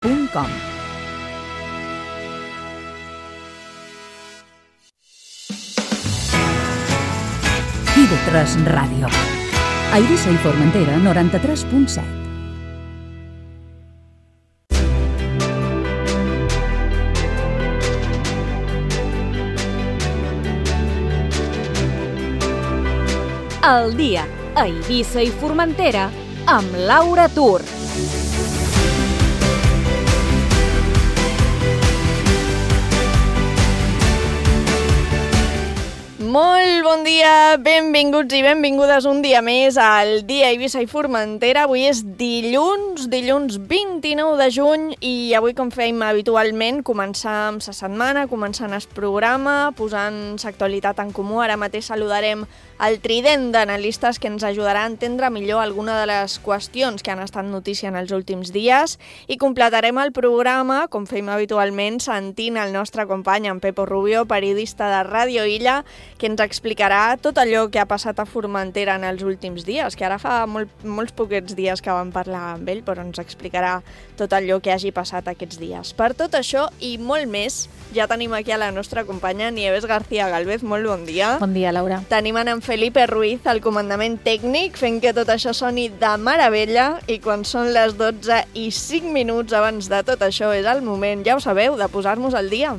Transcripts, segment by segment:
www.eivissa.com. TV3 Ràdio. A Eivissa i Formentera, 93.7. El dia a Eivissa i Formentera amb Laura Tur. Molt bon dia, benvinguts i benvingudes un dia més al dia a Eivissa i Formentera. Avui és dilluns 29 de juny i avui, com fèiem habitualment, començam la setmana, començant el programa, posant l'actualitat en comú. Ara mateix saludarem el trident d'analistes que ens ajudarà a entendre millor alguna de les qüestions que han estat notícia en els últims dies i completarem el programa, com fèiem habitualment, sentint el nostre company, en Pepo Rubio, periodista de Ràdio Illa, que ens explicarà tot allò que ha passat a Formentera en els últims dies, que ara fa molts poquets dies que vam parlar amb ell, però ens explicarà tot allò que hagi passat aquests dies. Per tot això i molt més, ja tenim aquí a la nostra companya Nieves García Galvez. Molt bon dia. Bon dia, Laura. Tenim en Felipe Ruiz al comandament tècnic, fent que tot això soni de meravella, i quan són les 12:05 abans de tot això és el moment, ja ho sabeu, de posar-nos al dia.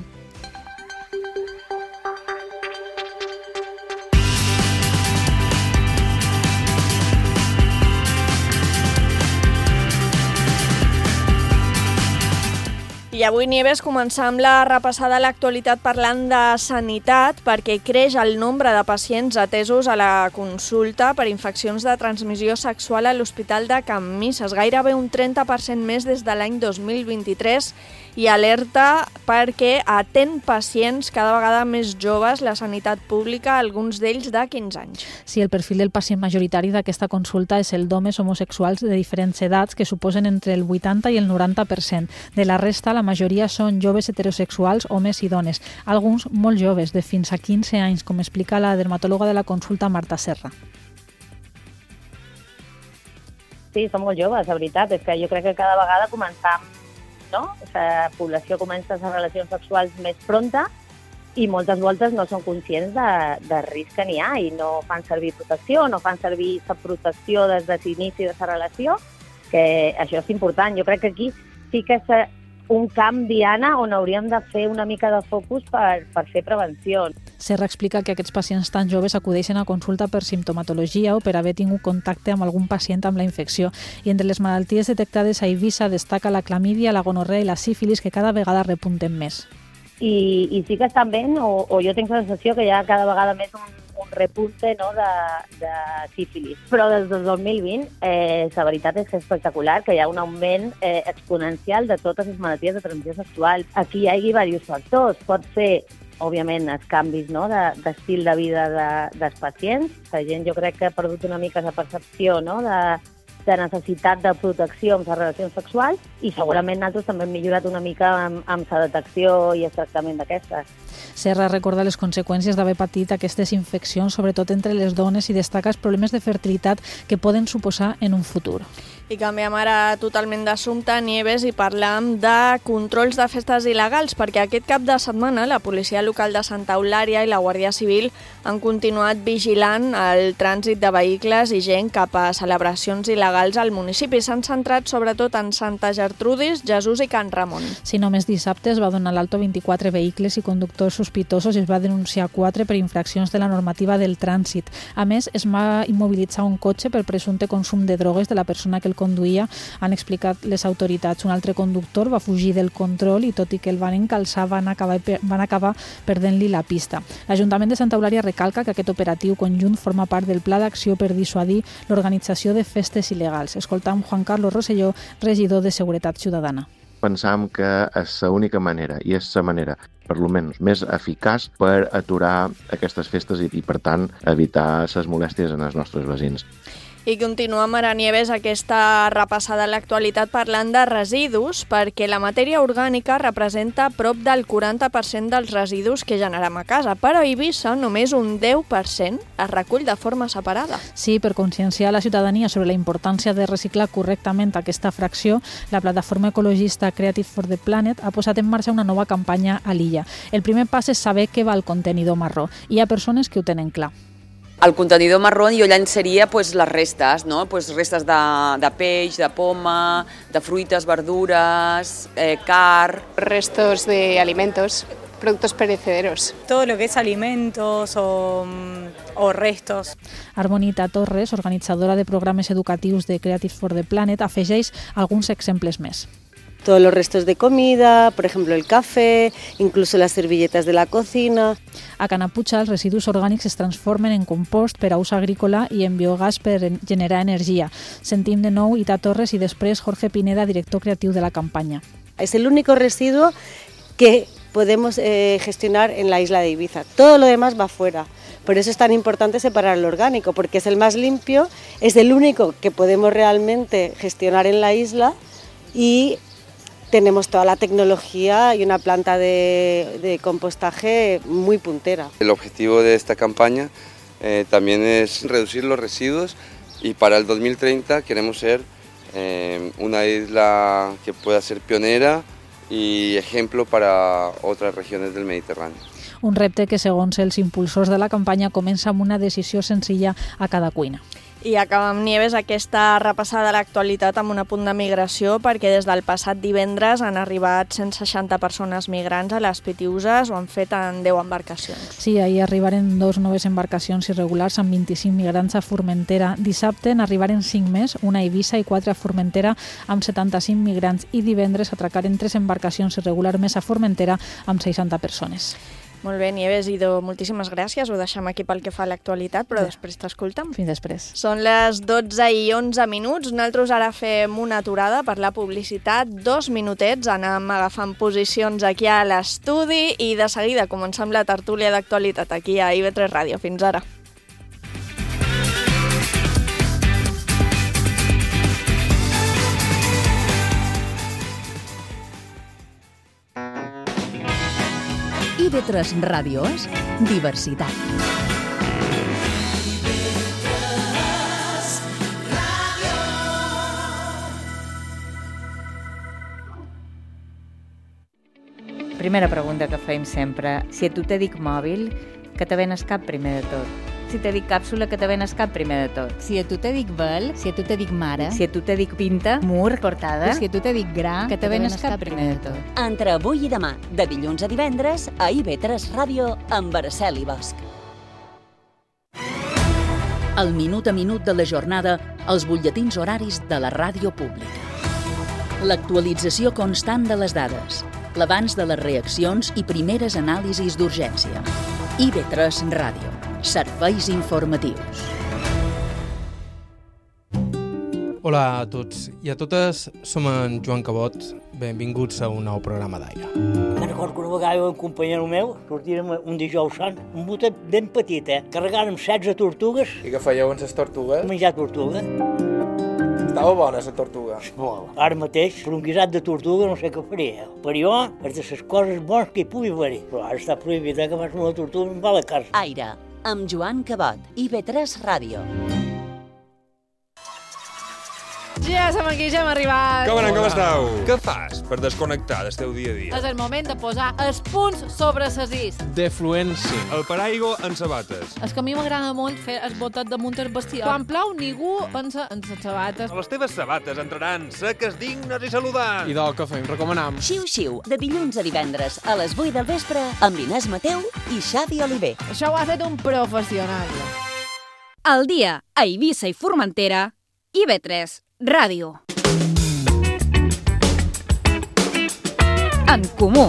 I avui, Nieves, començam la repassada a l'actualitat parlant de sanitat, perquè creix el nombre de pacients atesos a la consulta per infeccions de transmissió sexual a l'Hospital de Can Misses, gairebé un 30% més des de l'any 2023, i alerta perquè atén pacients cada vegada més joves la sanitat pública, alguns d'ells de 15 anys. Sí, el perfil del pacient majoritari d'aquesta consulta és el d'homes homosexuals de diferents edats, que suposen entre el 80 i el 90%. De la resta, la majoria són joves heterosexuals, homes i dones, alguns molt joves, de fins a 15 anys, com explica la dermatòloga de la consulta, Marta Serra. Sí, són molt joves, la veritat. És que jo crec que cada vegada començam, no? La població comença les relacions sexuals més pronta i moltes voltes no són conscients de risc que n'hi ha i no fan servir protecció, no fan servir la protecció des de l'inici de la relació, que això és important. Jo crec que aquí sí que és un camp diana on hauríem de fer una mica de focus per fer prevenció. Serra explica que aquests pacients tan joves acudeixen a consulta per simptomatologia o per haver tingut contacte amb algun pacient amb la infecció. I entre les malalties detectades a Eivissa destaca la clamídia, la gonorrea i la sífilis, que cada vegada repunten més. I sí que estan ben, o jo tinc la sensació que hi ha cada vegada més un repunte, no, de sífilis. Però des del 2020 la veritat és que és espectacular, que hi ha un augment exponencial de totes les malalties de transmissió sexual. Aquí hi ha diversos factors. Pot ser, òbviament, els canvis, no, d'estil de vida dels pacients. La gent, jo crec que ha perdut una mica la percepció, no, de necessitat de protecció amb les relacions sexuals, i segurament nosaltres també hem millorat una mica amb la detecció i el tractament d'aquestes. Serra recorda les conseqüències d'haver patit aquestes infeccions, sobretot entre les dones, i destaca els problemes de fertilitat que poden suposar en un futur. I canviem ara totalment d'assumpte, Nieves, i parlam de controls de festes il·legals, perquè aquest cap de setmana la policia local de Santa Eulària i la Guàrdia Civil han continuat vigilant el trànsit de vehicles i gent cap a celebracions il·legals al municipi. S'han centrat sobretot en Santa Gertrudis, Jesús i Can Ramon. Si només dissabte es va donar l'alto 24 vehicles i conductors sospitosos i es va denunciar 4 per infraccions de la normativa del trànsit. A més, es va immobilitzar un cotxe per presumpte consum de drogues de la persona que el conduïa, han explicat les autoritats. Un altre conductor va fugir del control i, tot i que el van encalçar, van acabar perdent-li la pista. L'Ajuntament de Santa Eulària recalca que aquest operatiu conjunt forma part del pla d'acció per dissuadir l'organització de festes il·legals. Escoltam Juan Carlos Rosselló, regidor de Seguretat Ciutadana. Pensam que és l'única manera, i és la manera, per almenys, més eficaç per aturar aquestes festes i per tant, evitar les molèsties en els nostres veïns. I continuem ara, Nieves, aquesta repassada a l'actualitat parlant de residus, perquè la matèria orgànica representa prop del 40% dels residus que generem a casa, però a Eivissa només un 10% es recull de forma separada. Sí, per conscienciar la ciutadania sobre la importància de reciclar correctament aquesta fracció, la plataforma ecologista Creative for the Planet ha posat en marxa una nova campanya a l'illa. El primer pas és saber què va al contenidor marró. Hi ha persones que ho tenen clar. El contenidor marró jo llançaria les restes, no? Restes de peix, de poma, de fruites, verdures, carn. Restos de alimentos, productos perecederos. Todo lo que es alimentos o restos. Armonita Torres, organitzadora de programes educatius de Creative for the Planet, afegeix alguns exemples més. Todos los restos de comida, por ejemplo el café, incluso las servilletas de la cocina. A Canapucha els residus orgànics es transformen en compost per a ús agrícola i en biogàs per generar energia. Sentim de nou Ita Torres i després Jorge Pineda, director creatiu de la campanya. Es el único residuo que podemos gestionar en la isla de Ibiza. Todo lo demás va fuera. Por eso es tan importante separar el orgánico, porque es el más limpio, es el único que podemos realmente gestionar en la isla y tenemos toda la tecnología y una planta de compostaje muy puntera. El objetivo de esta campaña también es reducir los residuos y para el 2030 queremos ser una isla que pueda ser pionera y ejemplo para otras regiones del Mediterráneo. Un repte que, segons els impulsors de la campanya, comença amb una decisió senzilla a cada cuina. I acabem, Nieves, aquesta repassada de l'actualitat amb un apunt de migració, perquè des del passat divendres han arribat 160 persones migrants a les Pitiüses, ho han fet en 10 embarcacions. Sí, ahir arribaren 2 noves embarcacions irregulars amb 25 migrants a Formentera. Dissabte n'arribaren 5 més, una a Eivissa i 4 a Formentera amb 75 migrants, i divendres atracaren 3 embarcacions irregulars més a Formentera amb 60 persones. Molt bé, Nieves, Ido, moltíssimes gràcies. Ho deixem aquí pel que fa a l'actualitat, però després t'escoltem. Fins després. Són les 12:11. Nosaltres ara fem una aturada per la publicitat. 2 minutets, anem agafant posicions aquí a l'estudi i de seguida comencem la tertúlia d'actualitat aquí a IB3 Ràdio. Fins ara. IB3 Ràdio és diversitat. Primera pregunta que fem sempre. Si a tu te dic mòbil, que te venes cap primer de tot? Si te dic càpsula, que te venes cap primer de tot? Si a tu te dic vel, si a tu te dic mare, si a tu te dic pinta, mur, portada, si a tu te dic gra, que te venes cap primer de tot? Entre avui i demà, de dilluns a divendres, a IB3 Ràdio, amb Araceli Bosch. El minut a minut de la jornada, els butlletins horaris de la ràdio pública. L'actualització constant de les dades, l'abans de les reaccions i primeres anàlisis d'urgència. IB3 Ràdio. Serveis informatius. Hola a tots i a totes, som en Joan Cabot. Benvinguts a un nou programa d'Aire. Me'n recordo que una vegada un companyero meu sortíem un dijous sant, un botet ben petit, carregàrem 16 tortugues. I què fèieu amb les tortugues? Menjar tortuga. Estava bona la tortuga? Molt. Ara mateix, per un guisat de tortuga no sé què faria. Per jo, és de les coses bones que hi pugui haver-hi. Però ara està prohibit que fas una tortuga i em va a la casa. Aire, amb Joan Cabot, IB3 Ràdio. Ja som aquí, ja hem arribat. Com esteu? Què fas per desconnectar del teu dia a dia? És el moment de posar els punts sobre les is. Defluència. El paraigua en sabates. És que a mi m'agrada molt fer el botet damunt el vestidor. Quan plou, ningú pensa en les sabates. Les teves sabates entraran seques, dignes i saludants. I del que fem, recomanam. Xiu-xiu, de dilluns a divendres, a les 8 del vespre, amb l'Inés Mateu i Xavi Oliver. Això ho ha fet un professional. Al dia, a Eivissa i Formentera, IB3 Ràdio. En comú.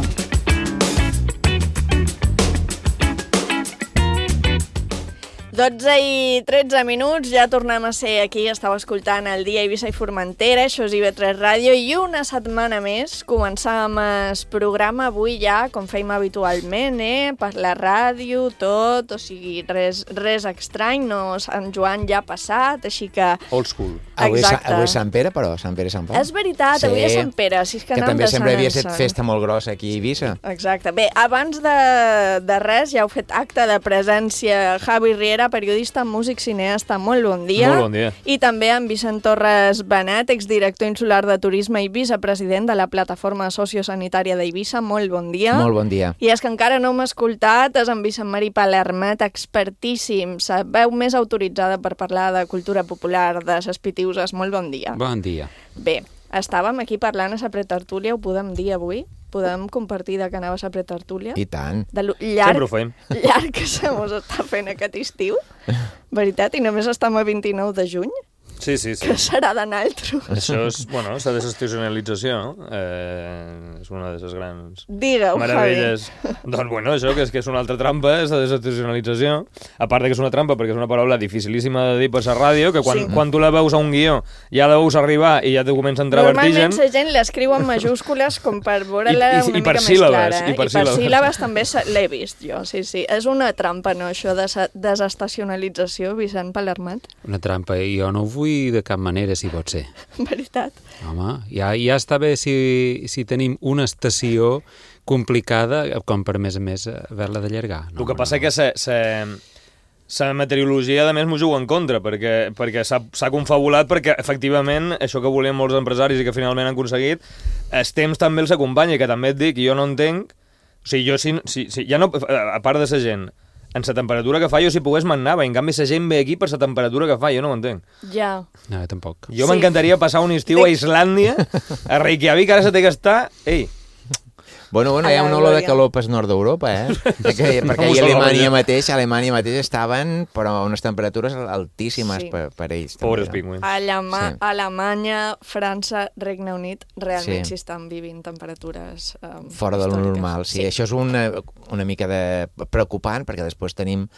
12 i 13 minuts, ja tornem a ser aquí, estàu escoltant el Dia Eivissa i Formentera, això és IB3 Ràdio, i una setmana més començàvem el programa avui ja, com fèiem habitualment, per la ràdio, tot, o sigui, res estrany, no, Sant Joan ja ha passat, així que... Old school. Avui és Sant Pere, però, Sant Pere i Sant Pau. És veritat, avui és Sant Pere, si és que també sempre havia estat festa molt grossa aquí a Eivissa. Exacte. Bé, abans de res, ja heu fet acte de presència Javi Riera, periodista, músic, cineasta, molt bon dia. Molt bon dia. I també en Vicent Torres Benet, exdirector insular de Turisme i vicepresident de la plataforma sociosanitària d'Eivissa. Molt bon dia. Molt bon dia. I és que encara no m'ha escoltat, és en Vicent Marí Palermet, expertíssim, la veu més autoritzada per parlar de cultura popular, de ses Pitiuses. Molt bon dia. Bon dia. Bé, estàvem aquí parlant a la pretertúlia, ho podem dir avui? Podem compartir de que anaves a pretertúlia? I tant. De llarg, sempre ho fem. Llarg que se mos està fent aquest estiu. Veritat? I només estem a 29 de juny? Sí. Que serà de naltros. Això és, bueno, la desestacionalització, no? És una de les grans meravelles. Doncs, bueno, això, que és una altra trampa, és la desestacionalització. A part de que és una trampa, perquè és una paraula dificilíssima de dir per la ràdio, que quan tu la veus a un guió, ja la veus arribar i ja te comença a entrar vertigen. Normalment la gent l'escriu en majúscules com per veure-la una mica més clara. I per síl·labes també l'he vist jo, sí. És una trampa, no, això de desestacionalització, Vicent Palermet? Una trampa, i jo no ho vull de cap manera, si pot ser. Veritat. Home, ja està bé si tenim una estació complicada com per, a més, haver-la d'allargar. El que passa que la meteorologia, a més, m'ho juga en contra, perquè s'ha confabulat, perquè, efectivament, això que volien molts empresaris i que finalment han aconseguit, el temps també els acompanya, que també et dic, jo no entenc, o sigui, ja no, a part de la gent, en la temperatura que fa, jo si pogués m'anava, i en canvi la gent ve aquí per la temperatura que fa, jo no ho entenc. Ja. No, tampoc. Jo m'encantaria passar un estiu a Islàndia, a Reykjavik, ara se té que estar... Ei, Bueno, hi ha una olor de calor pel nord d'Europa, perquè a Alemanya mateix estaven, però a unes temperatures altíssimes per ells. Pobres pingüins. Alemanya, França, Regne Unit, realment s'hi estan vivint temperatures fora de lo normal, sí. Això és una mica preocupant, perquè després tenim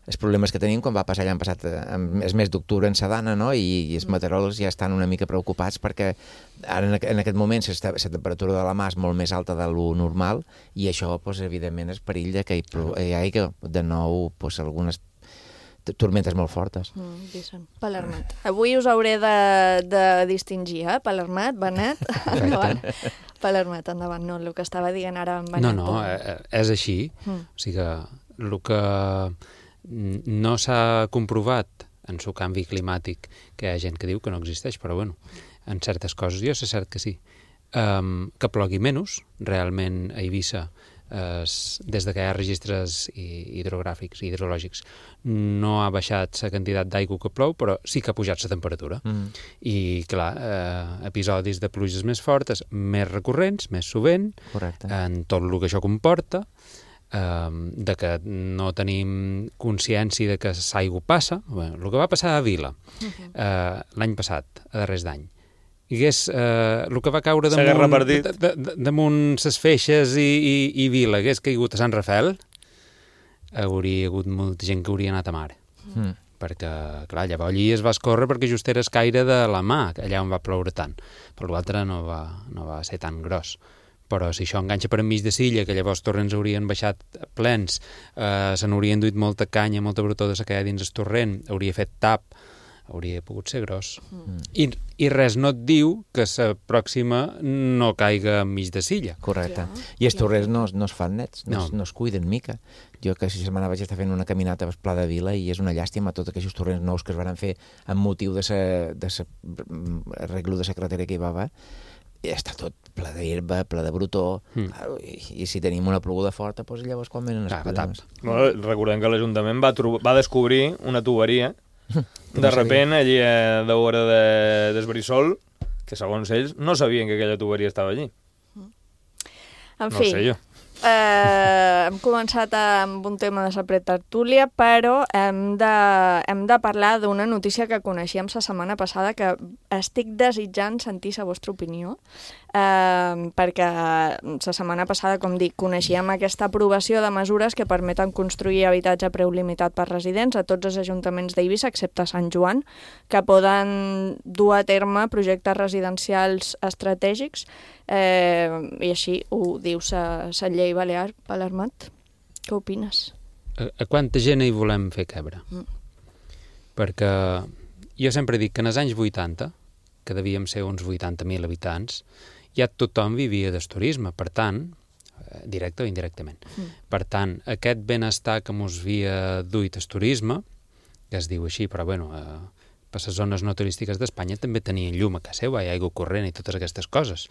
els problemes que tenim quan va passar l'any passat el mes d'octubre en Sedana, no? I els meteoròlegs ja estan una mica preocupats perquè ara en aquest moment la temperatura de la mà és molt més alta de lo normal i això, evidentment, és perill que hi hagi de nou algunes tormentes molt fortes. Palermet. Avui us hauré de distingir, Palermet, Benet, endavant. Palermet, endavant, no, el que estava dient ara en Benet. No, és així. O sigui que el que no s'ha comprovat en el canvi climàtic, que hi ha gent que diu que no existeix, però bueno, en certes coses jo sé cert que sí. Que plogui menys, realment a Eivissa, des que hi ha registres hidrogràfics i hidrològics, no ha baixat la quantitat d'aigua que plou, però sí que ha pujat la temperatura. I, clar, episodis de pluges més fortes, més recurrents, més sovint, en tot el que això comporta, de que no tenim consciència de que l'aigua passa. El que va passar a Vila l'any passat, a darrers d'any, el que va caure damunt ses feixes i Vila hagués caigut a Sant Rafael, hauria hagut molta gent que hauria anat a mar. Perquè, clar, llavors allí es va escórrer perquè just era el caire de la mà, allà on va ploure tant. Per l'altre no va ser tan gros. Però si això enganxa per enmig de Silla, que llavors torrents haurien baixat plens, se n'haurien duit molta canya, molta brutó de sequer dins el torrent, hauria fet tap, hauria pogut ser gros. I res no et diu que la pròxima no caiga enmig de Silla. Correcte. I els torrents no es fan nets, no es cuiden mica. Jo que aquesta setmana vaig estar fent una caminata al Pla de Vila i és una llàstima tots aquests torrents nous que es van fer amb motiu de l'arreglo de la carretera que hi va haver. Està tot ple d'herba, ple de brutó, i si tenim una ploguda forta, doncs llavors quan venen els problemes. Recordem que l'Ajuntament va descobrir una tuberia, de repent, allí a l'hora del Brissol, que segons ells no sabien que aquella tuberia estava allí. En fi, no sé jo. Hem començat amb un tema de la pretertúlia, però hem de parlar d'una notícia que coneixíem la setmana passada que estic desitjant sentir la vostra opinió. perquè la setmana passada, com dic, coneixíem aquesta aprovació de mesures que permeten construir habitatge a preu limitat per residents a tots els ajuntaments d'Eivissa, excepte Sant Joan, que poden dur a terme projectes residencials estratègics, i així ho diu la llei balear, Palermat. Què opines? A quanta gent hi volem fer cabre? Perquè jo sempre dic que en els anys 80, que devíem ser uns 80.000 habitants, ja tothom vivia del turisme, per tant, directe o indirectament. Per tant, aquest benestar que mos havia duit el turisme, que es diu així, però bueno, per les zones no turístiques d'Espanya també tenien llum a casa seva, hi ha aigua corrent i totes aquestes coses.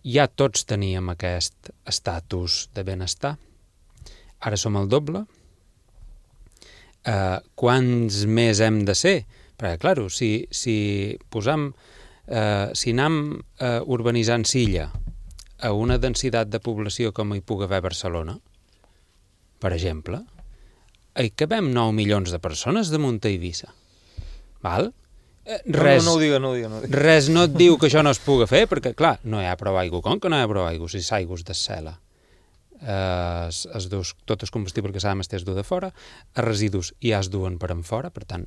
Ja tots teníem aquest estatus de benestar. Ara som el doble. Quants més hem de ser? Perquè, clar, si anem urbanitzant Silla a una densitat de població com hi pugui haver a Barcelona, per exemple, hi cabem 9 milions de persones damunt a Eivissa. Val? No ho digue. Res no et diu que això no es pugui fer, perquè, clar, no hi ha prou aigua. Com que no hi ha prou aigua? Si s'aigües de cel·la. Tot el combustible que s'ha de es du de fora, els residus ja es duen per en fora, per tant,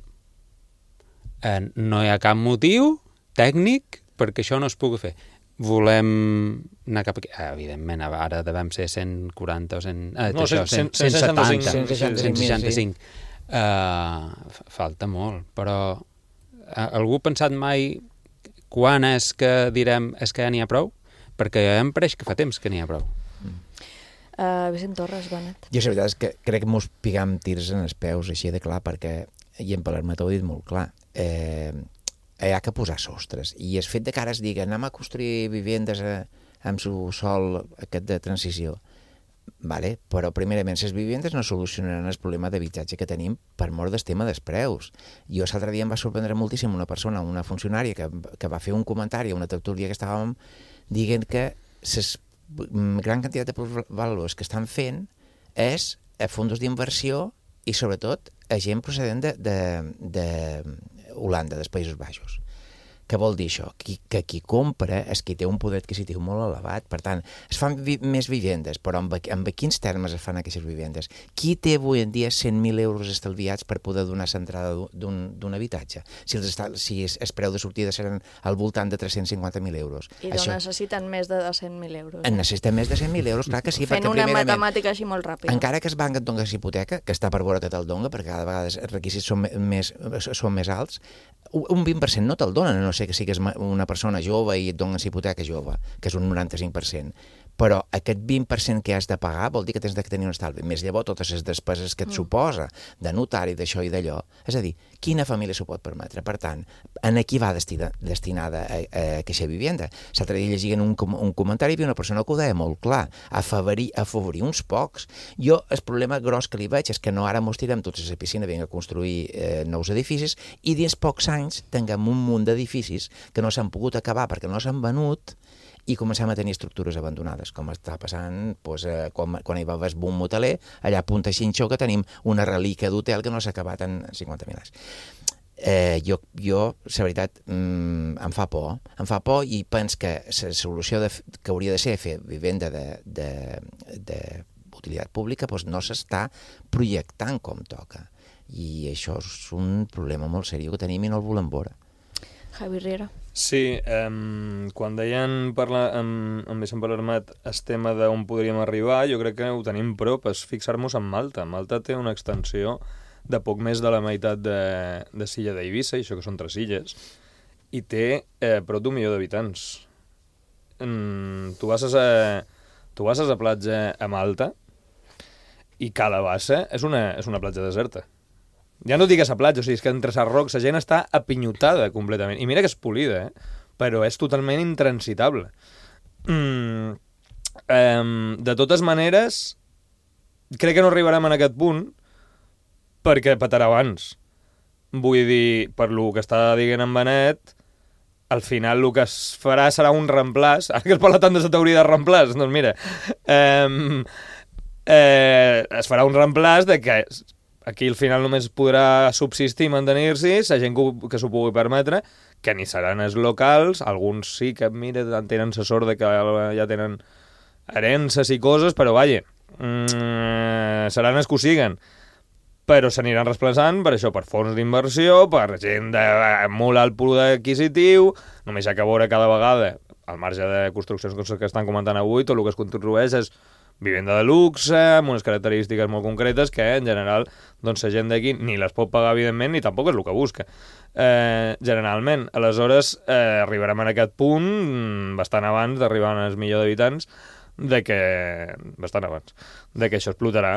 no hi ha cap motiu tècnic perquè això no es pugui fer. Volem anar cap aquí. Evidentment, ara devem ser 140 o 165. Falta molt, però algú ha pensat mai quan és que direm és que ja n'hi ha prou? Perquè ja em pareix que fa temps que n'hi ha prou. Vicent Torres, Benet. Jo la veritat és que crec que mos pigam tirs en els peus així de clar, perquè, i en Palermat ho ha dit molt clar, hi ha que posar sostres, i el fet de que ara es digui anem a construir vivendes amb su sol aquest de transició, vale? Però primerament les vivendes no solucionaran el problema d'habitatge que tenim per mort del tema dels preus. Jo l'altre dia em va sorprendre moltíssim una persona, una funcionària que va fer un comentari a una tertúlia que estàvem dient que les gran quantitat de valors que estan fent és a fondos d'inversió i sobretot a gent procedent d'Holanda, dels Països Baixos. Què vol dir això? Que qui compra és qui té un poder adquisitiu molt elevat. Per tant, es fan més vivendes, però amb quins termes es fan aquestes vivendes? Qui té avui en dia 100.000 euros estalviats per poder donar l'entrada d'un habitatge? Si el preu de sortida seran al voltant de 350.000 euros. I necessiten més de 100.000 euros. Necessiten més de 100.000 euros, clar que sí. Fent una matemàtica així molt ràpida. Encara que el banc et doni hipoteca, que està per veure que te'l dona, perquè cada vegada els requisits són més alts, un 20% no te'l donen, a no ser que sigues una persona jove i et donen hipoteca jove, que és un 95%. Però aquest 20% que has de pagar vol dir que tens de tenir un estalvi. Més llavors totes les despeses que et suposa de notari, d'això i d'allò. És a dir, quina família s'ho pot permetre? Per tant, en qui va destinada aquesta vivenda? L'altre dia llegien un comentari i hi havia una persona que ho deia molt clar, afavorir uns pocs. Jo el problema gros que li veig és que no ara mos tirem tots a la piscina, vinc a construir nous edificis i dins pocs anys tinguem un munt d'edificis que no s'han pogut acabar perquè no s'han venut i comencem a tenir estructures abandonades, com està passant quan hi va haver el boom hoteler, allà a Punta Xinxó, que tenim una relíquia d'hotel que no s'ha acabat en 50.000 anys. Jo, la veritat, em fa por i penso que la solució que hauria de ser fer vivenda d'utilitat pública no s'està projectant com toca. I això és un problema molt seriós que tenim i no el volem veure. Javi Riera. Sí, quan deien amb Vicent Palermat el tema d'on podríem arribar, jo crec que ho tenim prop, és fixar-nos en Malta. Malta té una extensió de poc més de la meitat de Silla d'Eivissa, i això que són 3 illes, i té prop d'1 milió d'habitants. Tu vas a la platja a Malta i Calabassa és una platja deserta. Ja no dic a la platja, o sigui, és que entre les rocs la gent està apinyotada completament. I mira que és polida, però és totalment intransitable. De totes maneres, crec que no arribarem en aquest punt perquè petarà abans. Vull dir, per lo que està dient en Benet, al final el que es farà serà un reemplàs. Ara que es parla tant de la teoria de reemplàs, doncs mira, es farà un reemplàs de que aquí al final només podrà subsistir i mantenir-s'hi la gent que s'ho pugui permetre, que ni seran els locals, alguns sí que, mira, tenen sa sort de que ja tenen herències i coses, però, vaja, seran els que ho siguen. Però s'aniran desplaçant per això, per fons d'inversió, per gent de molt alt poder adquisitiu, només hi ha que veure cada vegada, al marge de construccions que estan comentant avui, tot el que es construeix és vivenda de luxe, amb unes característiques molt concretes que, en general, doncs la gent d'aquí ni les pot pagar, evidentment, ni tampoc és el que busca, generalment. Aleshores, arribarem a aquest punt bastant abans d'arribar als milió d'habitants, bastant abans, de que això explotarà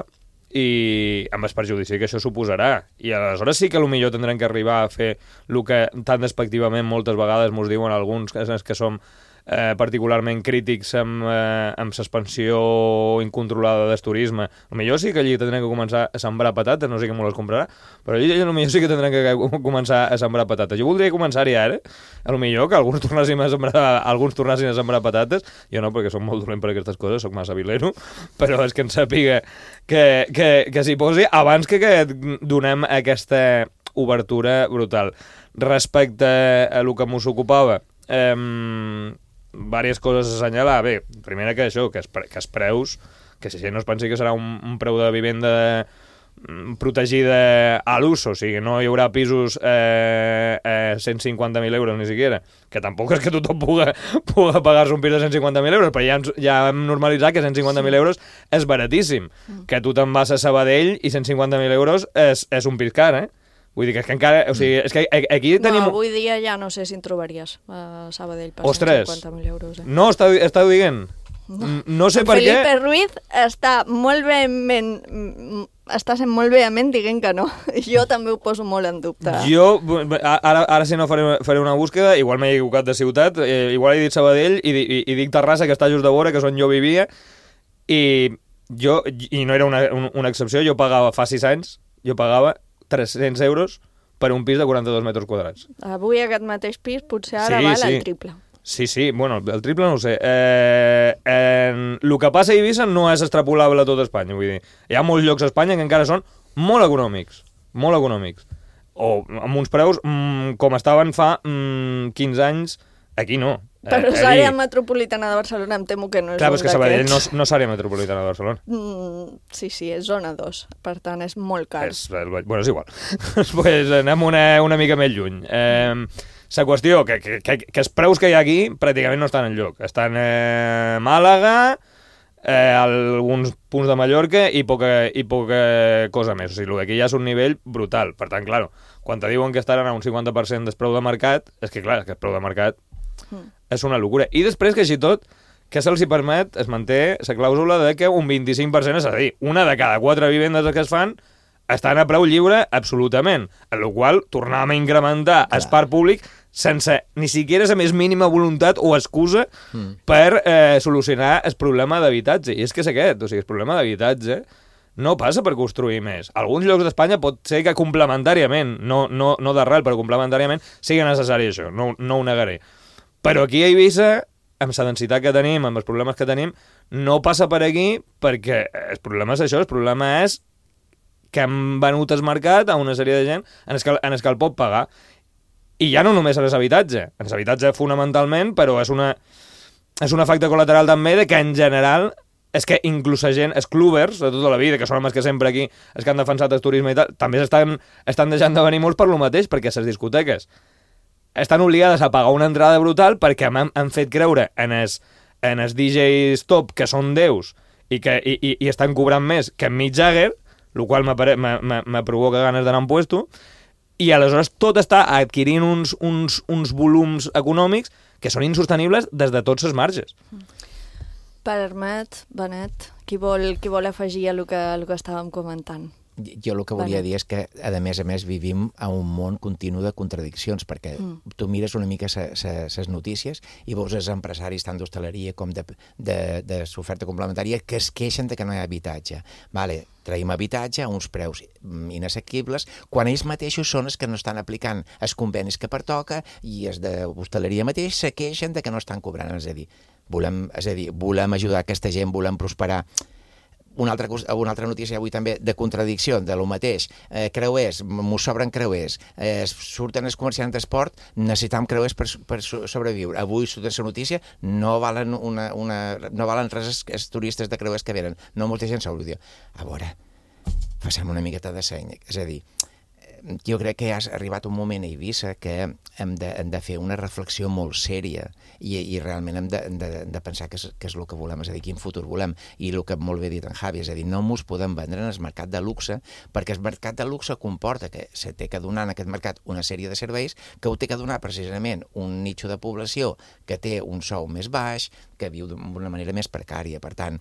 i amb el perjudici que això suposarà. I aleshores sí que potser tindrem que arribar a fer el que tan despectivament moltes vegades ens diuen alguns que som particularment crítics amb l'expansió incontrolada del turisme. Potser sí que allí tindrem que començar a sembrar patates, no sé qui m'ho les comprarà, però allí potser sí que tindrem que començar a sembrar patates. Jo voldria començar-hi ara, potser que alguns tornassin a sembrar patates, jo no, perquè soc molt dolent per aquestes coses, soc massa vilero, però és que em sàpiga que s'hi posi abans que donem aquesta obertura brutal. Respecte a el que m'ho ocupava, diverses coses a assenyalar. Bé, primera que això, que els preus, que si no es pensi que serà un preu de vivenda protegida a l'ús, o sigui, no hi haurà pisos a 150.000 euros ni siquiera, que tampoc és que tothom pugui pagar-se un pis de 150.000 euros, però ja hem normalitzat que 150.000 euros és baratíssim, que tu te'n vas a Sabadell i 150.000 euros és un pis car, Vull dir que és que encara... O sigui, és que aquí tenim... No, avui dia ja no sé si en trobaries a Sabadell per 150.000 euros. No, estàu dient. No sé per què... Felipe Ruiz està sent molt vehement dient que no. Jo també ho poso molt en dubte. Jo, ara si no faré una búsqueda, igual m'he equivocat de ciutat, igual he dit Sabadell i dic Terrassa, que està just de vora, que és on jo vivia, i no era una excepció, jo pagava fa 6 anys, 300 euros per un pis de 42 metres quadrats. Avui aquest mateix pis potser ara val el triple. Sí, bueno, el triple no ho sé. El que passa a Eivissa no és extrapolable a tot Espanya, vull dir. Hi ha molts llocs a Espanya que encara són molt econòmics, o amb uns preus com estaven fa 15 anys, aquí no. Però l'àrea metropolitana de Barcelona em temo que no és clar, és que Sabadell no és àrea metropolitana de Barcelona. Sí, és zona 2, per tant és molt car. Bueno, és igual. Pues anem una mica més lluny. La qüestió, que els preus que hi ha aquí pràcticament no estan enlloc. Estan a Màlaga, alguns punts de Mallorca i poca cosa més. O sigui, el d'aquí ja és un nivell brutal. Per tant, clar, quan te diuen que estaran a un 50% del preu de mercat, és que clar, el preu de mercat és una locura. I després que així tot, que se'ls permet, es manté la clàusula de que un 25%, és a dir, una de cada 4 vivendes que es fan estan a preu lliure absolutament, en la qual tornàvem a incrementar el parc públic sense ni siquiera la més mínima voluntat o excusa per solucionar el problema d'habitatge. I és que és aquest, o sigui, el problema d'habitatge no passa per construir més. Alguns llocs d'Espanya pot ser que complementàriament, no d'arrel, però complementàriament sigui necessari això, no ho negaré. Però aquí a Eivissa, amb la densitat que tenim, amb els problemes que tenim, no passa per aquí perquè el problema és això, el problema és que hem venut el mercat a una sèrie de gent en el que el pot pagar. I ja no només en l'habitatge fonamentalment, però és un efecte col·lateral també de que en general és que inclús la gent, els clubbers de tota la vida, que són els que sempre aquí, els que han defensat el turisme i tal, també estan deixant de venir molts per lo mateix, perquè les discoteques estan obligades a pagar una entrada brutal perquè han fet creure en els DJs top que són déus i estan cobrant més que en Mick Jagger, el qual me provoca ganes d'anar en puesto, i aleshores tot està adquirint uns volums econòmics que són insostenibles des de tots els marges. Permet, Benet, qui vol afegir a el que estàvem comentant? Jo el que volia dir és que, a més, vivim a un món continu de contradiccions, perquè tu mires una mica les notícies i veus els empresaris tant d'hostaleria com de l'oferta complementària que es queixen de que no hi ha habitatge. Vale, traiem habitatge a uns preus inassequibles, quan ells mateixos són els que no estan aplicant els convenis que pertoca i els d'hostaleria mateix se queixen de que no estan cobrant. És a dir, volem ajudar aquesta gent, volem prosperar. una altra notícia avui també de contradicció, de lo mateix. Creuers, mos sobren creuers. Surten els comerciants d'esport, necessitam creuers per sobreviure. Avui surt aquesta notícia, no valen res els turistes de creuers que venen. No molta gent s'ho diu. A veure, passem una miqueta de seny. És a dir, jo crec que ha arribat un moment a Eivissa que hem de fer una reflexió molt sèria i realment hem de pensar què és el que volem, és a dir, quin futur volem. I el que molt bé dit en Javi, és a dir, no ens podem vendre en el mercat de luxe, perquè el mercat de luxe comporta que se té que donar en aquest mercat una sèrie de serveis que ho té que donar precisament un nicho de població que té un sou més baix, que viu d'una manera més precària. Per tant,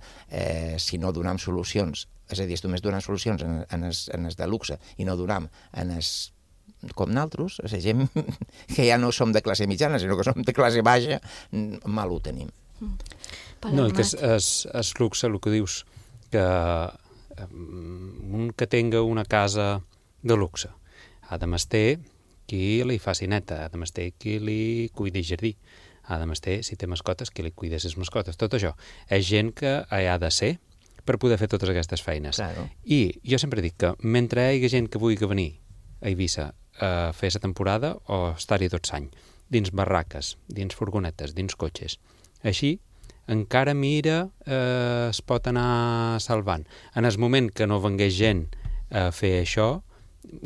si no donem solucions, és a dir, només donem solucions en els de luxe i no donem en els com nosaltres, és a dir, gent que ja no som de classe mitjana, sinó que som de classe baixa, mal ho tenim. No, i que és luxe, el que dius, que un que tenga una casa de luxe ha de mester qui li faci neta, ha de mester qui li cuidi jardí, ha de mester, si té mascotes, qui li cuida les mascotes. Tot això és gent que hi ha de ser per poder fer totes aquestes feines. Claro. I jo sempre dic que mentre hi hagi gent que vulgui venir a Eivissa a fer la temporada o estar-hi tot l'any, dins barraques, dins furgonetes, dins cotxes, així encara mira, es pot anar salvant. En el moment que no vengués gent a fer això,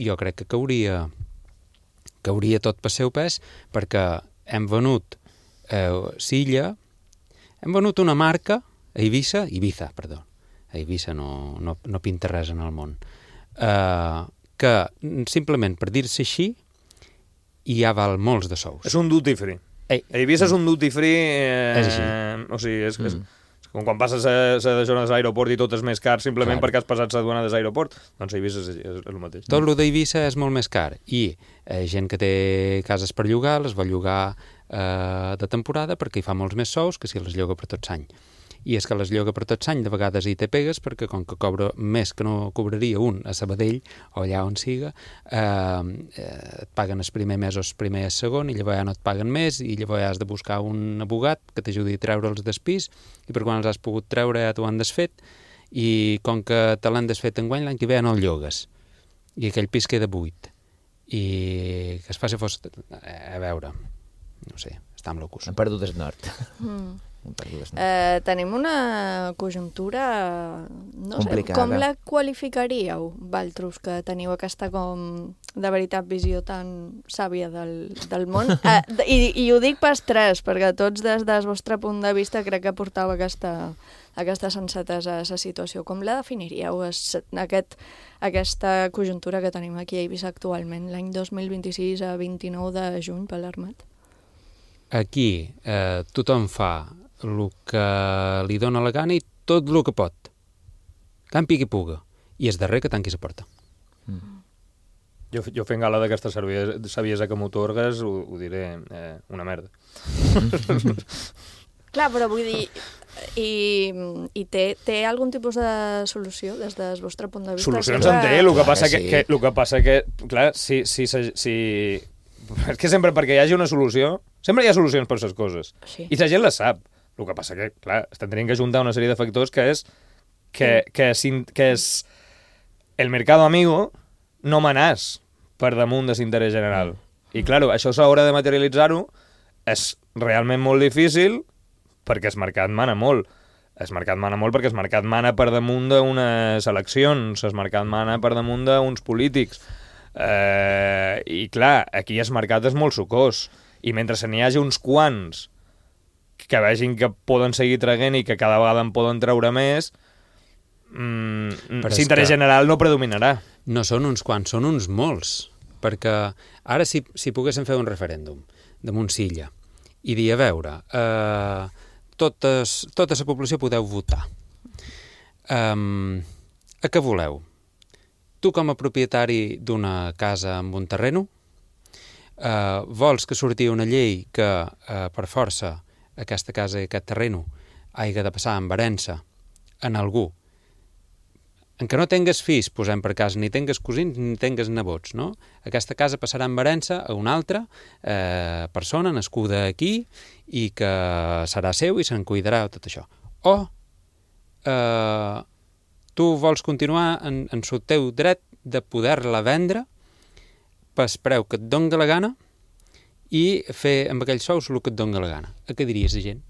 jo crec que cauria tot per seu pes, perquè hem venut Silla, hem venut una marca a Eivissa, a Eivissa no pinta res en el món, que simplement per dir-se així ja val molts de sous. És un duty free. Eivissa és un duty free... És així. O sigui, és com quan passes a jornades a l'aeroport i tot és més car simplement perquè has passat la duana de l'aeroport. Doncs Eivissa és el mateix. Tot el d'Eivissa és molt més car i gent que té cases per llogar les vol llogar de temporada perquè hi fa molts més sous que si les lloga per tot l'any. I és que les lloga per tot l'any, de vegades hi té pegues, perquè com que cobra més que no cobraria un a Sabadell o allà on siga, et paguen els primers mesos primer i el segon, i llavors ja no et paguen més, i llavors has de buscar un abogat que t'ajudi a treure'ls del pis, i per quan els has pogut treure ja t'ho han desfet, i com que te l'han desfet enguany, l'any que ve ja no el llogues. I aquell pis queda buit. I que es faci fos... A veure, no sé, està amb locus. Han perdut el nord. Tenim una conjuntura, no complicada. Sé, com la qualificaríeu, Valtros, que teniu aquesta com de veritat visió tan sàvia del món? I ho dic pas tres, perquè tots des del vostre punt de vista crec que portava aquesta sensatesa a la situació. Com la definiríeu, aquesta conjuntura que tenim aquí a Eivissa actualment, l'any 2026 a 29 de juny per l'Armat? Aquí tothom fa el que li dóna la gana i tot el que pot. Campi qui puga. I és darrer que tanqui la porta. Jo fent gala d'aquesta saviesa que m'otorgues, ho diré una merda. Clar, però vull dir... I té algun tipus de solució des del vostre punt de vista? Solucions en té, el que passa que clar, si és que sempre perquè hi hagi una solució, sempre hi ha solucions per les coses. Sí. I la gent les sap. El que passa que, clar, estan tenint que juntar una sèrie de factors que és el mercado amigo no manàs per damunt de l'interès general. I, clar, això s'haurà de materialitzar-ho, és realment molt difícil perquè el mercat mana molt. El mercat mana molt perquè el mercat mana per damunt d'unes eleccions, el mercat mana per damunt d'uns polítics. I, clar, aquí el mercat és molt sucós. I mentre se n'hi hagi uns quants que vegin que poden seguir traguent i que cada vegada en poden treure més, l'interès general no predominarà. No són uns quants, són uns molts. Perquè ara si poguéssim fer un referèndum de Montsilla i dir, a veure, tota la població podeu votar. A què voleu? Tu com a propietari d'una casa amb un terreno, vols que surti una llei que per força aquesta casa i aquest terreno hagi de passar amb herència en algú en què no tingues fills, posem per cas, ni tingues cosins ni tingues nebots, no? Aquesta casa passarà amb herència a una altra persona nascuda aquí i que serà seu i se'n cuidarà tot això. O tu vols continuar en el teu dret de poder-la vendre pel preu que et doni la gana i fer amb aquells sous el que et doni la gana. A què diries de gent?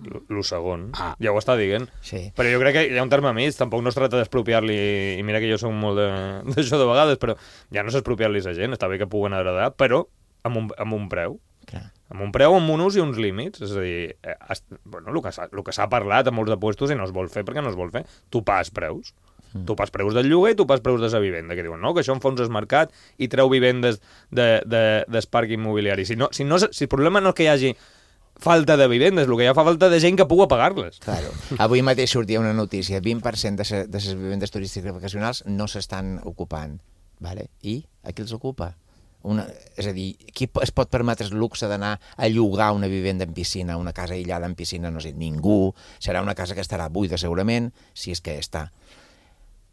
Lo segon, ja ho està dient. Sí. Però jo crec que hi ha un terme mig, tampoc no es tracta d'expropiar-li, i mira que jo soc molt d'això de vegades, però ja no és expropiar-li a gent, està bé que puguen agradar, però amb un preu. Clar. Amb un preu, amb un ús i uns límits. És a dir, el que s'ha parlat a molts de puestos i no es vol fer perquè no es vol fer. Tu pas preus. Tu pas preus del lloguer i tu pas preus de la vivenda, que diuen, no, que això en fons és mercat i treu vivendes del parc immobiliari. Si el problema no és que hi hagi falta de vivendes, el que hi ha fa falta de gent que pugui pagar-les. Claro. Avui mateix sortia una notícia, 20% de les vivendes turístiques vacacionals no s'estan ocupant. Vale? I a qui els ocupa? És a dir, qui es pot permetre el luxe d'anar a llogar una vivenda en piscina, una casa aïllada en piscina? No sé, ningú. Serà una casa que estarà buida segurament, si és que està.